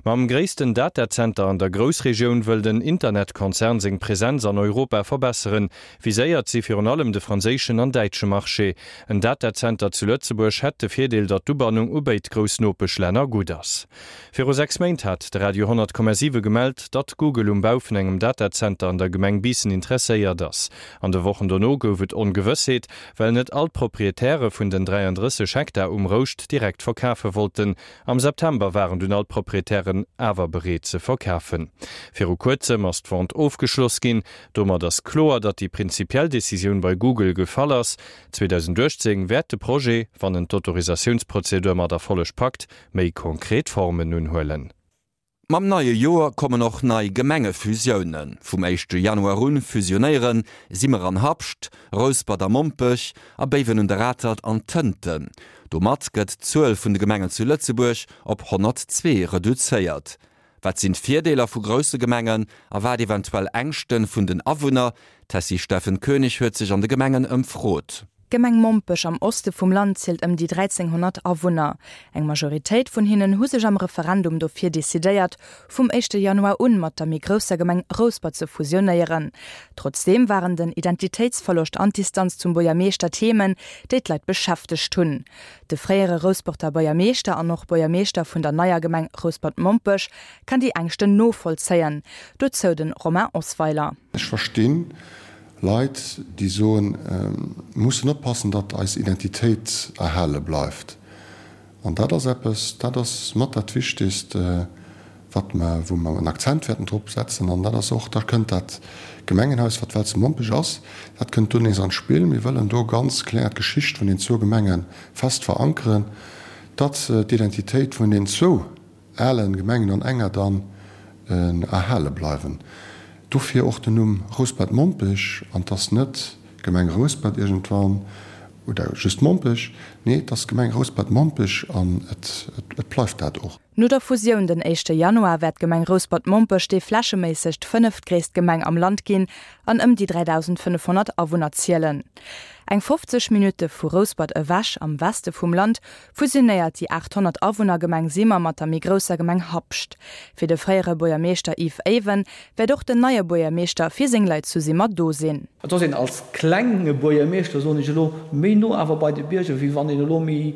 Mam gréissten Datazenter an der Groussregioun wëll den Internetkonzern seng Presenz an Europa verbesseren. Viséiert si virun allem de franséischen an däitsche Marché. En Datazenter zu Lëtzebuerg hätt de Virdeel, datt d'Ubannung u béid grouss Nopeschlänner gutt ass. Viru sechs Méint hat de Radio honnert Komma siwe gemellt, datt Google um Bau vun engem Datazenter an der Gemeng Biissen interesséiert ass. An de Wochen dono gouf et Ongewëssheet, well net all d'Proprietäre vun den dräiandrësseg Hektar um Rouscht direkt verkafe wollten. Am September waren dunn all d'Proprietären awer bereet ze verkafen. Viru kuerzem ass d'Vente ofgeschloss ginn. Domat ass kloer, datt déi prinzipiell Decisioun bei Google gefall ass. zweedausendachtzéng wäert de Projet, wann en d'Autorisatiounsprozedur mat Erfolleg packt, méi konkret Formen unhuelen. Mam neie Joer kommen och nei Gemengefusiounen. Vum éischte Januar un fusionéieren Simmer an Habscht, Rouspert a Mompech a Béiwen un der Atert an Tënten. Domat gëtt d'Zuel vun de Gemengen zu Lëtzebuerg op honnertzwee reduzéiert. Wat sinn d'Virdeeler vu grousse Gemengen a wat eventuell Ängschte vun den Awunner? D'Tessy Steffen Koenig huet sech an de Gemengen ëmfrot. D'Gemeng Mompech am Oste vum Land zielt ëm déi dräizénghonnert Awunner. Eng Majoritéit vun hinnen hu sech am Referendum dofir decidéiert, vum éischte Januar un mat der méi grousser Gemeng Rouspert ze fusionéieren. Trotzdeem waren den Identitéitsverloscht an d'Distanz zum Buergermeeschter Themen, déi d'Leit beschäftegt hunn. De fréiere Rousperter Buergermeeschter an och Buergermeeschter vun der neier Gemeng Rouspert-Mompech kann déi Ängschten novollzéien. Dozou de Romain Osweiler. Ech verstinn Leit, déi soen, mir mussen oppassen, datt eis Identitéit erhale bleift. An dat ass eppes, dat ass mat dat Wichtigst, wat mer, wou mer en Akzent wäerten drop setzen. An dat ass och, da kënnt dat Gemengenhaus, wat well zu Mompech ass, dat kënnt do nees an d'Spill. Mir wëllen do ganz kloer d'Geschicht vun den zwou Gemenge fest verankeren, datt d'Identitéit vun den zwou alen Gemengen an enger dann erhale bleiwen. Dofir och den Numm Rouspert-Mompech, an 't ass net Gemeng Rouspert iergendwann oder just Mompech, nee, 't ass Gemeng Rouspert-Mompech an et et bleift dat och. No der Fusioun den éischte Januar wäert d'Gemeng Rouspert-Mompech déi flächeméisseg fënneftgréisst Gemeng am Land ginn an ëm déi dräidausendfënnefhonnert Awunner zielen. Eng fofzeg Minutte vu Rouspert ewech, am Weste vum Land, fusionéiert déi aathonnert Awunner Gemeng Simmer mat der méi grousser Gemeng Habscht. Fir de fréiere Buergermeeschter Yves Eiwen wäert och den neie Buergermeeschter fir seng Leit zu Simmer do sinn. Et ass een als klenge Buergermeeschter, soen ech elo, méi no awer bei de Bierger, wéi wann een elo méi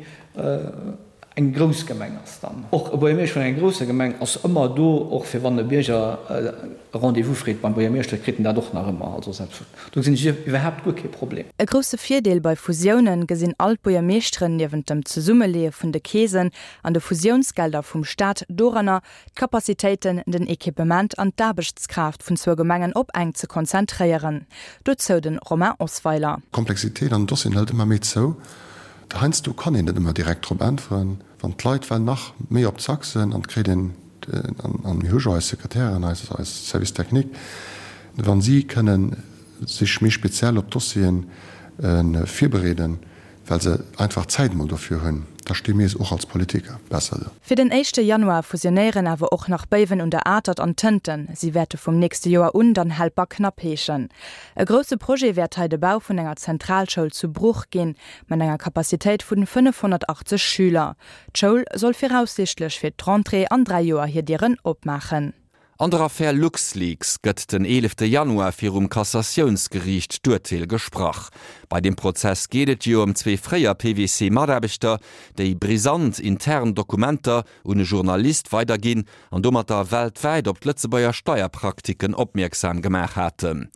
eng grouss Gemeng ass dann. Och e Buergermeeschter vun enger grousser Gemeng ass ëmmer do, och fir wann e Bierger e Rendez-vous freet beim Buergermeeschter, kritt en dat och nach ëmmer. Also selbst do gesinn ech iwwerhaapt guer kee Problem. E grousse Virdeel bei Fusiounen gesinn all d'Buergermeeschteren niewent dem Zesummeleeë vun de Keesen an de Fusiounsgelder vum Staat doranner, d'Capacitéiten, den Equipement an d'Aarbechtskraaft vun zwou Gemengen op eng ze konzentréieren. Dozou de Romain Osweiler. D'Komplexitéit an den Dossieren hëlt ëmmer méi zou. Heiansdo kann een net ëmmer direkt drop äntweren, wann d'Leit well nach méi op Zack sinn an et kritt een, an mir hu jo eis Sekretären, eis Service technique, wa si kënnen sech méi speziell op d'Dossieren virbereeden, well se einfach d'Zäit emol dofir hunn, da sti mir och als Politiker besser do. Fir den éischte Januar fusionéieren awer och nach Béiwen un der Atert an Tënten. Si wäerte vum nächste Joer un dann Helperknapp heeschen. E grousse Projet wäert hei de Bau vun enger Zentralschoul zu Bruch ginn, mat enger Capacitéit vun fënnefhonnertachtzeg Schüler. D'Schoul soll viraussiichtlech fir d'Rentrée an dräi Joer hir Dieren opmaachen. An der Affär LuxLeaks gëtt den eelefte Januar virum Kassatiounsgeriicht d'Urteel gesprach. Bei deem Prozess geet et jo ëm zwee fréier PwC-Mataarbechter, déi brisant intern Dokumenter un e Journalist weiderginn an domatter weltwäit op d'Lëtzebuerger Steierpraktiken opmierksam gemaach haten.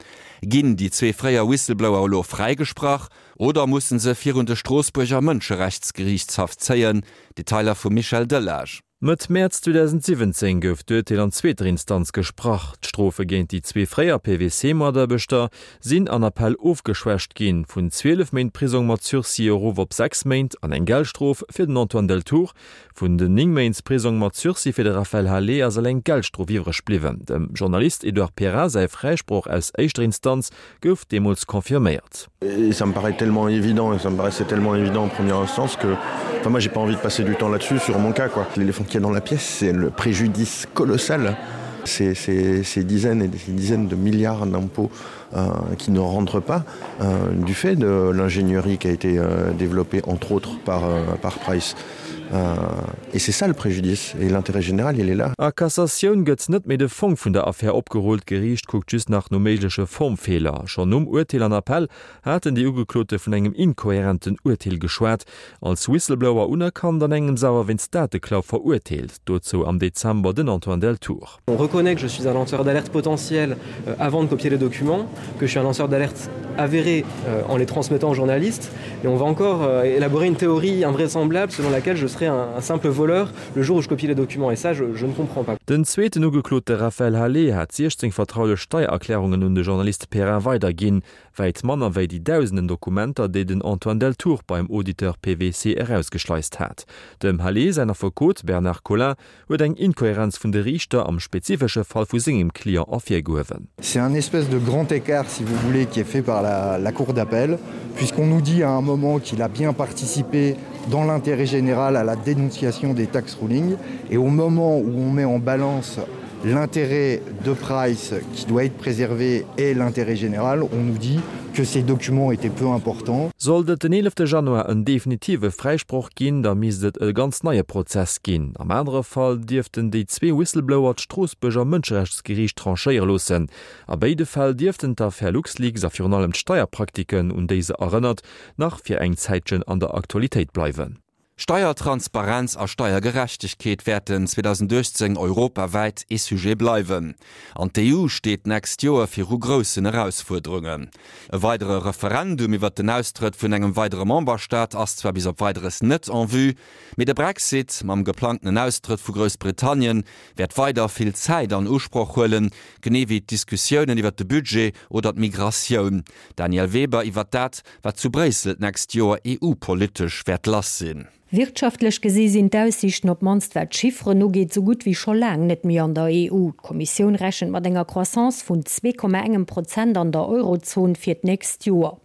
Ginn déi zwee fréier Whistleblower elo fräigesprach oder musse se virun de Stroossbuerger Mënscherechtsgeriichtshaff zéien? Detailer vum Michel Delage. Mëtt Mäerz zweedausendsiwwenzéng gouf d'Urteel an zweeter Instanz gesprach. D'Strofe géint déi zwee fréier P W C-Mataarbechter sinn an Appell ofgeschwächt ginn, vun zwielef Méint Prisong mat Sursis erof op sechs Méint an eng Geldstrof fir den Antoine Deltour. Vun den néng Méint Prisong mat Sursis fir de Raphaël Halet ass eleng d'Geldstrof iwwreg bliwwen. Dem Journalist Edouard Perrin säi Fräisproch aus éischter Instanz gouf deemools confirméiert. Et ça me paraît tellement évident et ça me paraissait tellement évident en première instance que enfin moi j'ai pas envie de passer du temps là-dessus sur mon cas quoi. L'éléphant qu'il y a dans la pièce, c'est le préjudice colossal. Ces, ces, ces dizaines et des dizaines de milliards d'impôts euh, qui ne rentrent pas euh, du fait de l'ingénierie qui a été euh, développée entre autres par, euh, par Price. Euh, et c'est ça le préjudice et l'intérêt général il est là. A Cassatioun gëtt net méi de Fong vun der Affär opgerullt, d'Geriicht kuckt just nach no méigleche Formfeeler. Schonn nom Urteel an Appell haten déi Ugeklote vun engem inkohärenten Urteel geschwat, als Whistleblower unerkannt, an engems awer wéinst Dateklau verurteelt, dozou am Dezember den Antoine Deltour. On reconnaît que je suis un lanceur d'alerte potentiel avant de copier les documents, que je suis un lanceur d'alerte avéré en les transmettant aux journalistes et on va encore élaborer une théorie invraisemblable selon laquelle je serais un simple voleur le jour où je copie les documents et ça je, je ne comprends pas. Den zweeten Ugeklote Raphaël Halet hat siechzéng vertraulech Steiererklärungen un de Journalist Perrin weiderginn, wäit manner wéi déi dausenden Dokumenter, déi den Antoine Deltour beim Auditeur P W C erausgeschleist hat. Dem Halet säin Affekot Bernard Collin huet eng Inkohärenz vun de Riichter am spezifesche Fall vu sengem Client ervirgehuewen. C'est un espèce de grand écart, si vous voulez, qui est fait par la, la cour d'appel, puisqu'on nous dit à un moment qu'il a bien participé dans l'intérêt général à la dénonciation des tax rulings, et au moment où on met en balance l'intérêt de Price qui doit être préservé et l'intérêt général, on nous dit que ces documents étaient peu importants. Sollt et den eelefte Januar en definitive Fräisproch ginn, da misst et e ganz neie Prozess ginn. Am anere Fall dierften déi zwee Whistleblower d'Stroossbuerger Mënscherechtsgeriicht tranchéiere loossen. A béide Fäll dierften d'Affär LuxLeaks a virun allem d'Steierpraktiken, un déi se erënnert, nach fir eng Zäitchen an der Aktualitéit bleiwen. Steiertransparenz a Steiergerechtegkeet wäerten zweedausenduechtzéng europawäit ee Sujet bleiwen. An d'E U steet d'nächst Joer viru groussen Erausfuerderungen. E weidere Referendum iwwert den Austrëtt vun engem weidere Memberstaat ass zwar bis op Weideres net en vue, mee de Brexit mam geplangtenen Austrëtt vu Groussbritannien wäert weider vill Zäit an Usproch huelen, genee wéi d'Diskussiounen iwwert de Budget oder d'Migratioun. Danièle Weber iwwert dat, wat zu Bréissel d'nächst Joer E U-politesch wäert lass sinn. Wirtschaftlech gesi sinn d'Aussiichten, op d'mannst wat d'Chifferen ugeet, sou gutt wéi scho laang net méi an der E U. D'Kommissioun rechent mat enger Croissance vun zwee Komma engem Prozent an der Eurozon fir d'nächst Joer.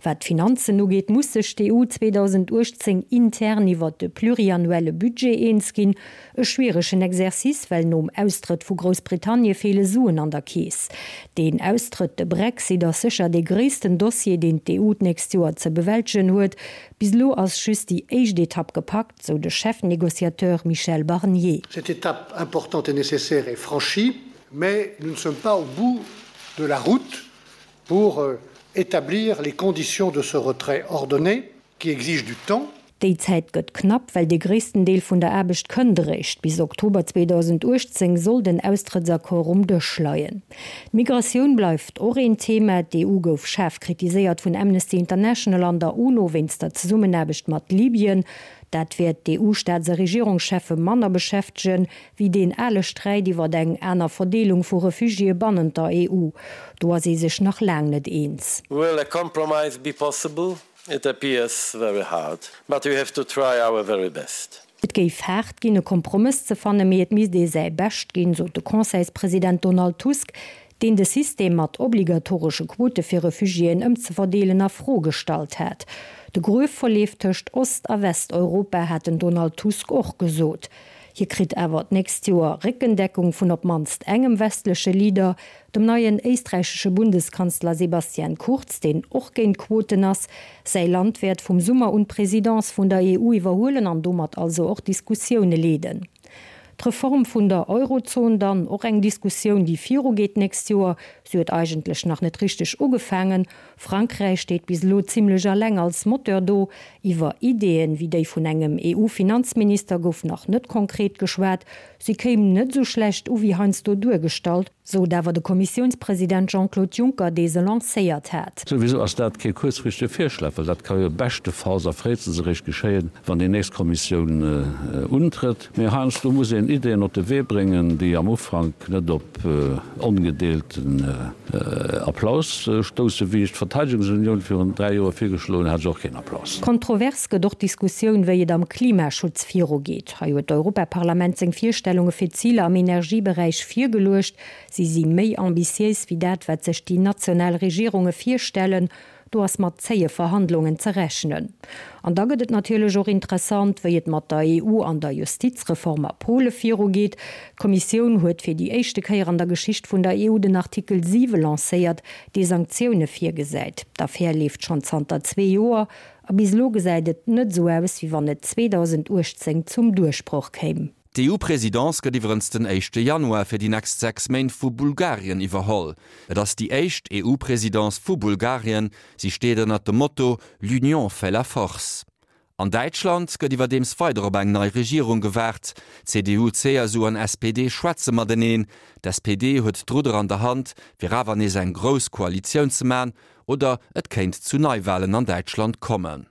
Wat d'Finanzen ugeet, muss sech d'E U zweedausenduechtzéng intern iwwert de pluriannuelle Budget eens ginn. E schwieregen Exercice, well nom Austrëtt vu Groussbritannie feele Suen an der Keess. Deen Austrëtt, de Brexit, ass sécher dee gréissten Dossier, deen d'E U d'nächst Joer ze bewältegen huet. Bis elo ass just déi éischt Etapp gepackt, sou de Chefnegociateur Michel Barnier. Cette étape importante et nécessaire est franchie, mais nous ne sommes pas au bout de la route pour établir les conditions de ce retrait ordonné qui exige du temps. Déi Zäit gëtt knapp, well de gréissten Deel vun der Aarbecht kënnt eréischt. Bis Oktober zweedausenduechtzéng soll den Austrëttsaccord um Dësch leien. D'Migratioun bleift och een Thema. D'E U gouf schaarf kritiséiert vun Amnesty International an der UNO wéinst der Zesummenaarbecht mat Libyen. Dat wäert d'E U-Staats a Regierungscheffe manner beschäftegen, wéi deen ale Sträit iwwer eng aner Verdeelung vu Refugiéë bannent der E U. Do ass ee sech nach laang net eens. Will a compromise be possible? It appears very hard, but we have to try our very best. Et géif haart ginn, e Kompromëss ze fannen, mee et misst ee säi Bescht ginn, sot de Conseilspresident Donald Tusk, deen de System mat obligatoresche Quote fir Refugiéen ëmzeverdeelen a Fro gestallt hat. De Gruef verleeft tëscht Ost a Westeuropa, hat den Donald Tusk och gesot. Hie kritt awer d'nächst Joer Réckendeckung vun op d'mannst engem westleche Leader, dem neien éisträichesche Bundeskanzler Sebastian Kurz, deen och géint Quoten ass. Säi Land wäert vum Summer un d'Presidence vun der E U iwwerhuelen an domat also och d'Diskussioune leeden. D'Reform vun der Eurozon dann, och eng Diskussioun, déi virugeet d'nächst Joer. Si huet eigentlech nach net richteg ugefaangen. Frankräich steet bis elo zimmlech eleng als Moteur do. Iwwer Ideeën, wéi déi vun engem EU-Finanzminister gouf nach net konkret geschwat. Si kéim net esou schlecht u wéi heiansdo duergestallt, sot awer de Kommissiounspresident Jean-Claude Juncker, dee se lancéiert hat. Souwisou ass dat kee kuerzfristege Virschlag, well dat ka jo beschtefalls a fréistens eréischt geschéien, wann déi nächst Kommissioun untrëtt. Mee heiansdo muss een Ideeën op de Wee bréngen, déi am Ufank net op ongedeelten Applaus stoussen. Wéi ech d'Verteidegungsunioun virun dräi Joer virgeschloen hat, hat ech och keen Applaus. Kontrovers gëtt och d'Diskussioun, wéi et am Klimaschutz virugeet. Hei huet d'Europaparlament seng Virstellunge fir d'Ziler am Energieberäich virgeluecht. Si si méi ambitiéis wéi dat, wat sech déi national Regierunge virstellen. Do ass mat zéie Verhandlungen ze rechnen. An da gëtt et natierlech och interessant, wéi et mat der EU an der Justizreform a Pole virugeet. D'Kommissioun huet fir déi éischte Kéier an der Geschicht vun der EU den Artikel siwe lancéiert, dee Sanktioune virgesäit. D'Affär leeft schonn zanter zwee Joer a bis elo gesäit et net esou aus, wéi wann et zweedausendachtzéng zum Duerchbroch kéim. D'EU-Presidence gëtt iwwerens den éischte Januar fir déi nächst sechs Méint vu Bulgarien iwwerholl. Et ass déi éischt EU-Presidence vu Bulgarien, si steet ënnert dem Motto L'union fait la force. An Däitschland gëtt iwwerdeems weider op eng nei Regierung gewaart. C D U, C S U an S P D schwätze mateneen. D'S P D huet d'Rudder an der Hand, fir awer nees eng grouss Koalitioun ze man, oder et kéint zu Neiwalen an Däitschland kommen.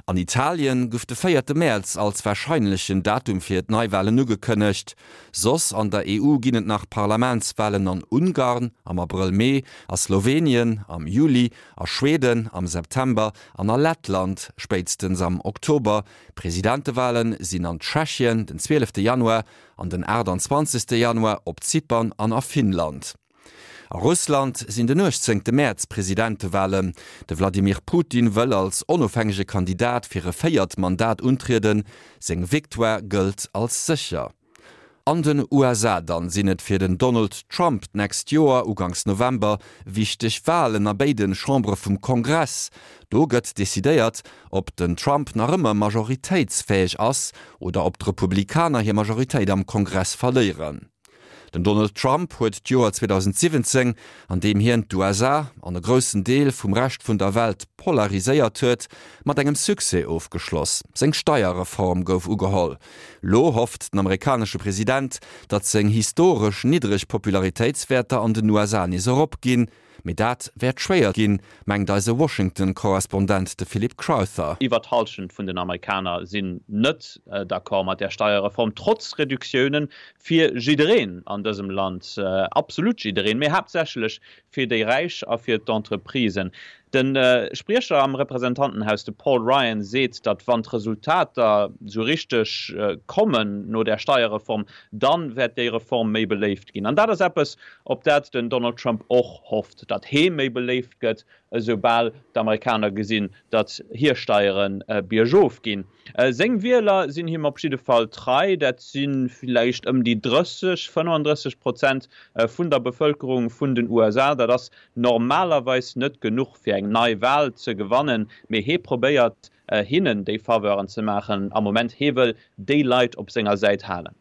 An Italien gouf de véierte Mäerz als warscheinlechen Datum fir d'Neiwalen ugekënnegt. Soss an der E U ginn et nach Parlamentswalen an Ungarn am Abrëll-Mee, a Slowenien am Juli, a Schweden am September an a Lettland spéitstens am Oktober. Presidentewale sinn an Tschechien den zwielefte Januar an den aachtanzwanzegste Januar op Zypern an a Finnland. A Russland sinn den uechtzéngte Mäerz Presidentewalen. De Wladimir Putin wëll als onofhängege Kandidat fir e véiert Mandat untrieden, seng Victoire gëllt als sécher. An den U S A dann sinn et fir den Donald Trump d'nächst Joer uganks November wichteg Walen a béide Chambere vum Kongress. Do gëtt decidéiert, ob den Trump nach ëmmer majoritéitsfäeg ass oder ob d'Republikaner hir Majoritéit am Kongress verléieren. Den Donald Trump huet d'Joer zweedausendsiwwenzéng, an deem hien d'U S A an e groussen Deel vum Rescht vun der Welt polariséiert huet, mat engem Succès ofgeschloss, Seng Steierreform gouf ugeholl. Lo hofft den amerikanesche President, datt seng historesch niddreg Popularitéitswäerter an den U S A nees eropginn. Mee dat wäert schwéier ginn, mengt eise Washington-Korrespondent, de Philip Crowther. Iwwer d'Hallschent vun den Amerikaner sinn net d'accord mat där Steierreform, trotz Reduktioune fir jiddereen an dësem Land, absolut jiddereen, mee haaptsächlech fir déi Räich a fir d'Entreprisen. De Spriecher am Representantenhaus, de Paul Ryan, seet, datt wann d'Resultater sou richteg kommen no där Steierreform, dann wäert déi Reform méi beléift ginn. An dat ass eppes, op dat den Donald Trump och hofft, datt hee méi beléift gëtt, esoubal d'Amerikaner gesinn, datt hir Steiere biergof ginn. Seng Wieler sinn him op jidde Fall trei, dat si villäicht ëm déi drësseg, fënnefandrësseg Prozent vun der Bevëlkerung vun den U S A. Dat ass normalerweis net genuch fir eng nei Wal ze gewannen, mee hee probéiert hinnen déi Faveuren ze maachen am Moment. Hee wëll déi Leit op senger Säit halen.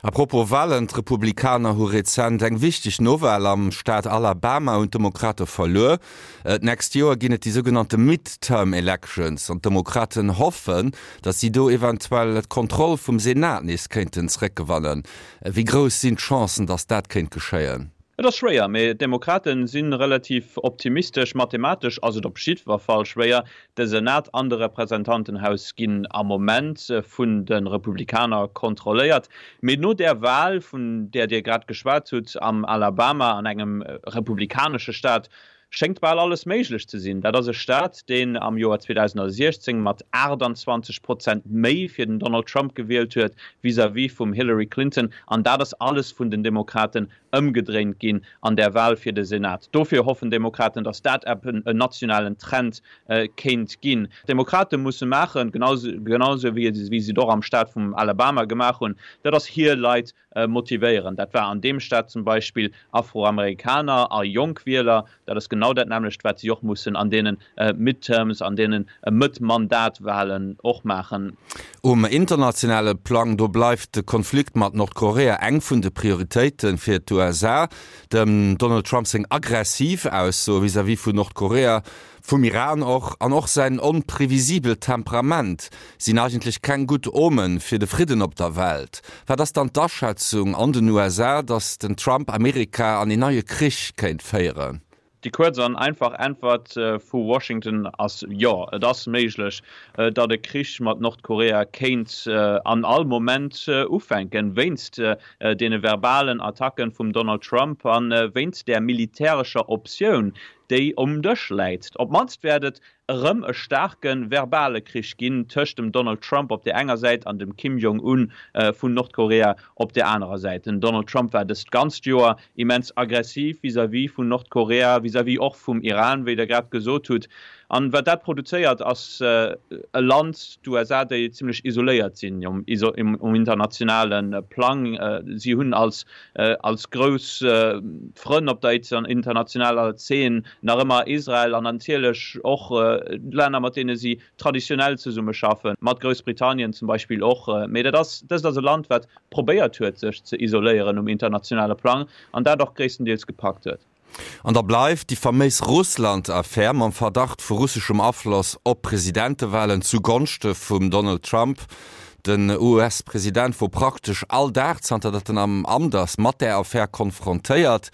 A propos Walen, d'Republikaner hu rezent eng wichteg Nowal am Staat Alabama un d'Demokrate verluer. D'nächst Joer ginn et déi sougenannte Midterm Elections an d'Demokraten hoffen, datt si do eventuell d'Kontroll vum Senat nees kéinten zeréckgewannen. Wéi grouss sinn d'Chancen, datt dat kéint geschéien? Et ass schwéier, mee d'Demokrate si relativ optimistesch. Mathematesch ass et op jiddwer Fall schwéier. De Senat an de Representantenhaus ginn am Moment vun de Republikaner kontrolléiert. Mee no där Wal, vun där Dir grad geschwat hutt, am Alabama, an engem republikanesche Staat, schéngt bal alles méiglech ze sinn. Dat ass e Staat, deen am Joer zweedausendsiechzéng mat aachtanzwanzeg Prozent méi fir den Donald Trump gewielt huet vis-à-vis vum Hillary Clinton. An dat ass alles vun den Demokraten ëmgedréint ginn an der Wal fir de Senat. Dofir hoffen d'Demokraten, datt dat eben en nationalen Trend kéint ginn. D'Demokrate musse maachen, genau esou wéi si et och am Staat vum Alabama gemaach hunn, dat ass hir Leit motivéieren. Dat war an deem Staat zum Beispill Afroamerikaner a jonk Wieler. Dat ass genau genau dat nämmlecht, wat si och mussen an deene Midterms, an deene Mëtt-Mandat-Wahlen och maachen. Um internationale Plang, do bleift de Konflikt mat Nordkorea eng vun de Prioritéite fir d'USA. Dem Donald Trump seng aggressiv Aussoe vis-à-vis vun Nordkorea, vum Iran och, an och säin onprevisibelt Temperament sinn eigentlech keng gutt Omen fir de Fridden op der Welt. Wat ass dann d'Aschätzung an den USA, datt den Trump Amerika an een neie Krich kéint féieren? Déi kuerz an einfach Äntwert vu Washington ass Jo. Et ass méiglech, datt e Krich mat Nordkorea kéint an all Moment ufänken, wéinst deene verbalen Attacke vum Donald Trump a wéinst där militärescher Optioun, déi um Dësch läit. Op d'mannst wäert et erëm e staarke verbale Krich ginn tëscht dem Donald Trump op där enger Säit an dem Kim Jong Un vun Nordkorea op där anerer Säit. Den Donald Trump war dëst ganzt Joer immens aggressiv vis-à-vis vun Nordkorea, vis-à-vis och vum Iran, wéi Der grad gesot hutt. An wat dat produzéiert, ass e Land, d'USA, déi zimlech isoléiert sinn um internationale Plang. Si hunn als als grouss Frënn op der internationaler Zeen nach ëmmer Israel an natierlech och Länner, mat deene si traditionell zesummeschaffen, mat Groussbritannien zum Beispill och. Mee dat ass, dëst ass e Land, wat probéiert huet, sech ze isoléieren um internationale Plang an dat och gréisstendeels gepackt huet. An da bleift déi faméis Russland-Affär mam Verdacht vu russeschem Afloss op d'Presidentewalen zu Gonschte vum Donald Trump. Den US-President wor praktesch all Dag, zanter datt en am Amt ass, mat där Affär konfrontéiert.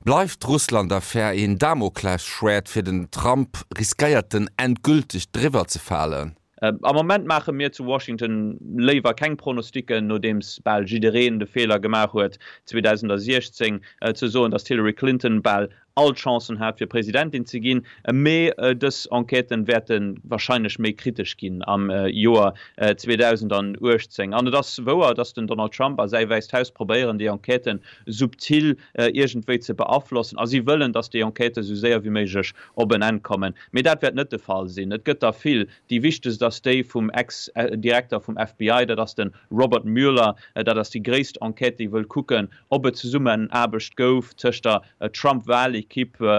Bleift d'Russland-Affär een Damoklesschwäert fir den Trump? Riskéiert en endgülteg driwwer ze falen? Am Moment maache mir zu Washington léiwer keng Pronosticken, nodeems bal jiddereen de Feeler gemaach huet, zweedausentsiechzéng ze soen, datt d'Hillary Clinton bal all d'Chancen hat, fir Presidentin ze ginn. Mee dës Enquêten wäerte warscheinlech méi kritesch ginn am Joer zweedausentuechtzéng. An et ass wouer, datt den Donald Trump a säi Wäisst Haus probéieren, déi Enquêten subtil iergendwéi ze beaflossen. A si wëllen, datt déi Enquêten esou séier wéi méiglech op en Enn kommen. Mee dat wäert net de Fall sinn. Et gëtt der vill. Déi wichtegst ass déi vum Ex-Direkter vum F B I, dat ass de Robert Mueller. Dat ass déi gréisst Enquête, déi wëll kucken, ob et Zesummenaarbecht gouf tëscht der Trump-Walekipp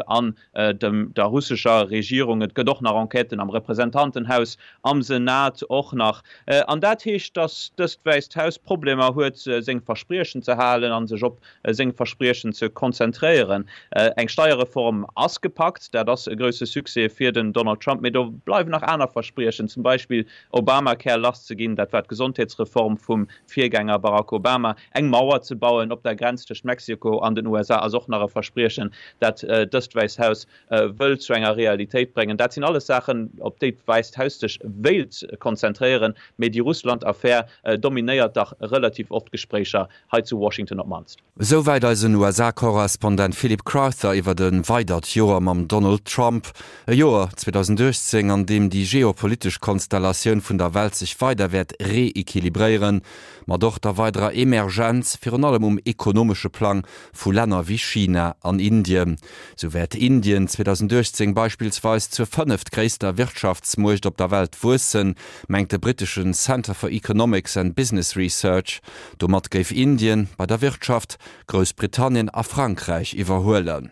an der russescher Regierung. Et gëtt och nach Enquêten am Representantenhaus, am Senat och nach. An dat heescht, datt dëst Wäisst Haus Problemer huet, seng Verspriechen ze halen a sech op seng Verspriechen ze konzentréieren. Eng Steierreform ass gepackt, dat ass e grousse Succès fir den Donald Trump, mee do bleiwen nach aner Verspriechen, zum Beispill Obamacare lass ze ginn, dat war d'Gesondheetsreform vum Virgänger Barack Obama, eng Mauer ze bauen op der Grenz tëscht Mexiko an den U S A ass och nach e Verspriechen, dat dëst Wäisst Haus wëll zu enger Realitéit bréngen. Dat sinn alles Saachen, op déi d'Wäisst Haus sech wéilt konzentréieren, mee déi Russland-Affär dominéiert dach relativ oft d'Gespréicher hei zu Washington op d'mannst. Esouwäit eisen U S A-Korrespondent Philip Crowther iwwer e weidert Joer mam Donald Trump. E Joer zweedausentuechtzéng, an deem déi geopolitesch Konstellatioun vun der Welt sech weider wäert reequilibréieren, mat och der weiderer Emergenz, virun allem um ekonomesche Plang, vu Länner wéi China an Indien. Sou wäert Indien zweedausentuechtzéng beispillsweis zur fënneftgréisster Wirtschaftsmuecht op der Welt wuessen, mengt de britteschen Centre for Economics and Business Research. Domat géif Indien bei der Wirtschaft Groussbritannien a Frankräich iwwerhuelen.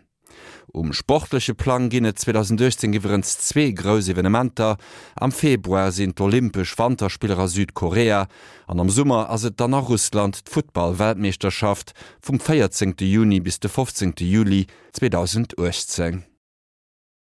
Um sportleche Plang ginn et zweedausentuechtzéng iwwerens zwee grouss Evenementer. Am Februar sinn d'Olympesch Wanterspiller a Südkorea an am Summer ass et dann a Russland d'Futtball-Weltmeeschterschaft vum véierzéngte Juni bis de fofzéngte Juli zweedausentuechtzéng.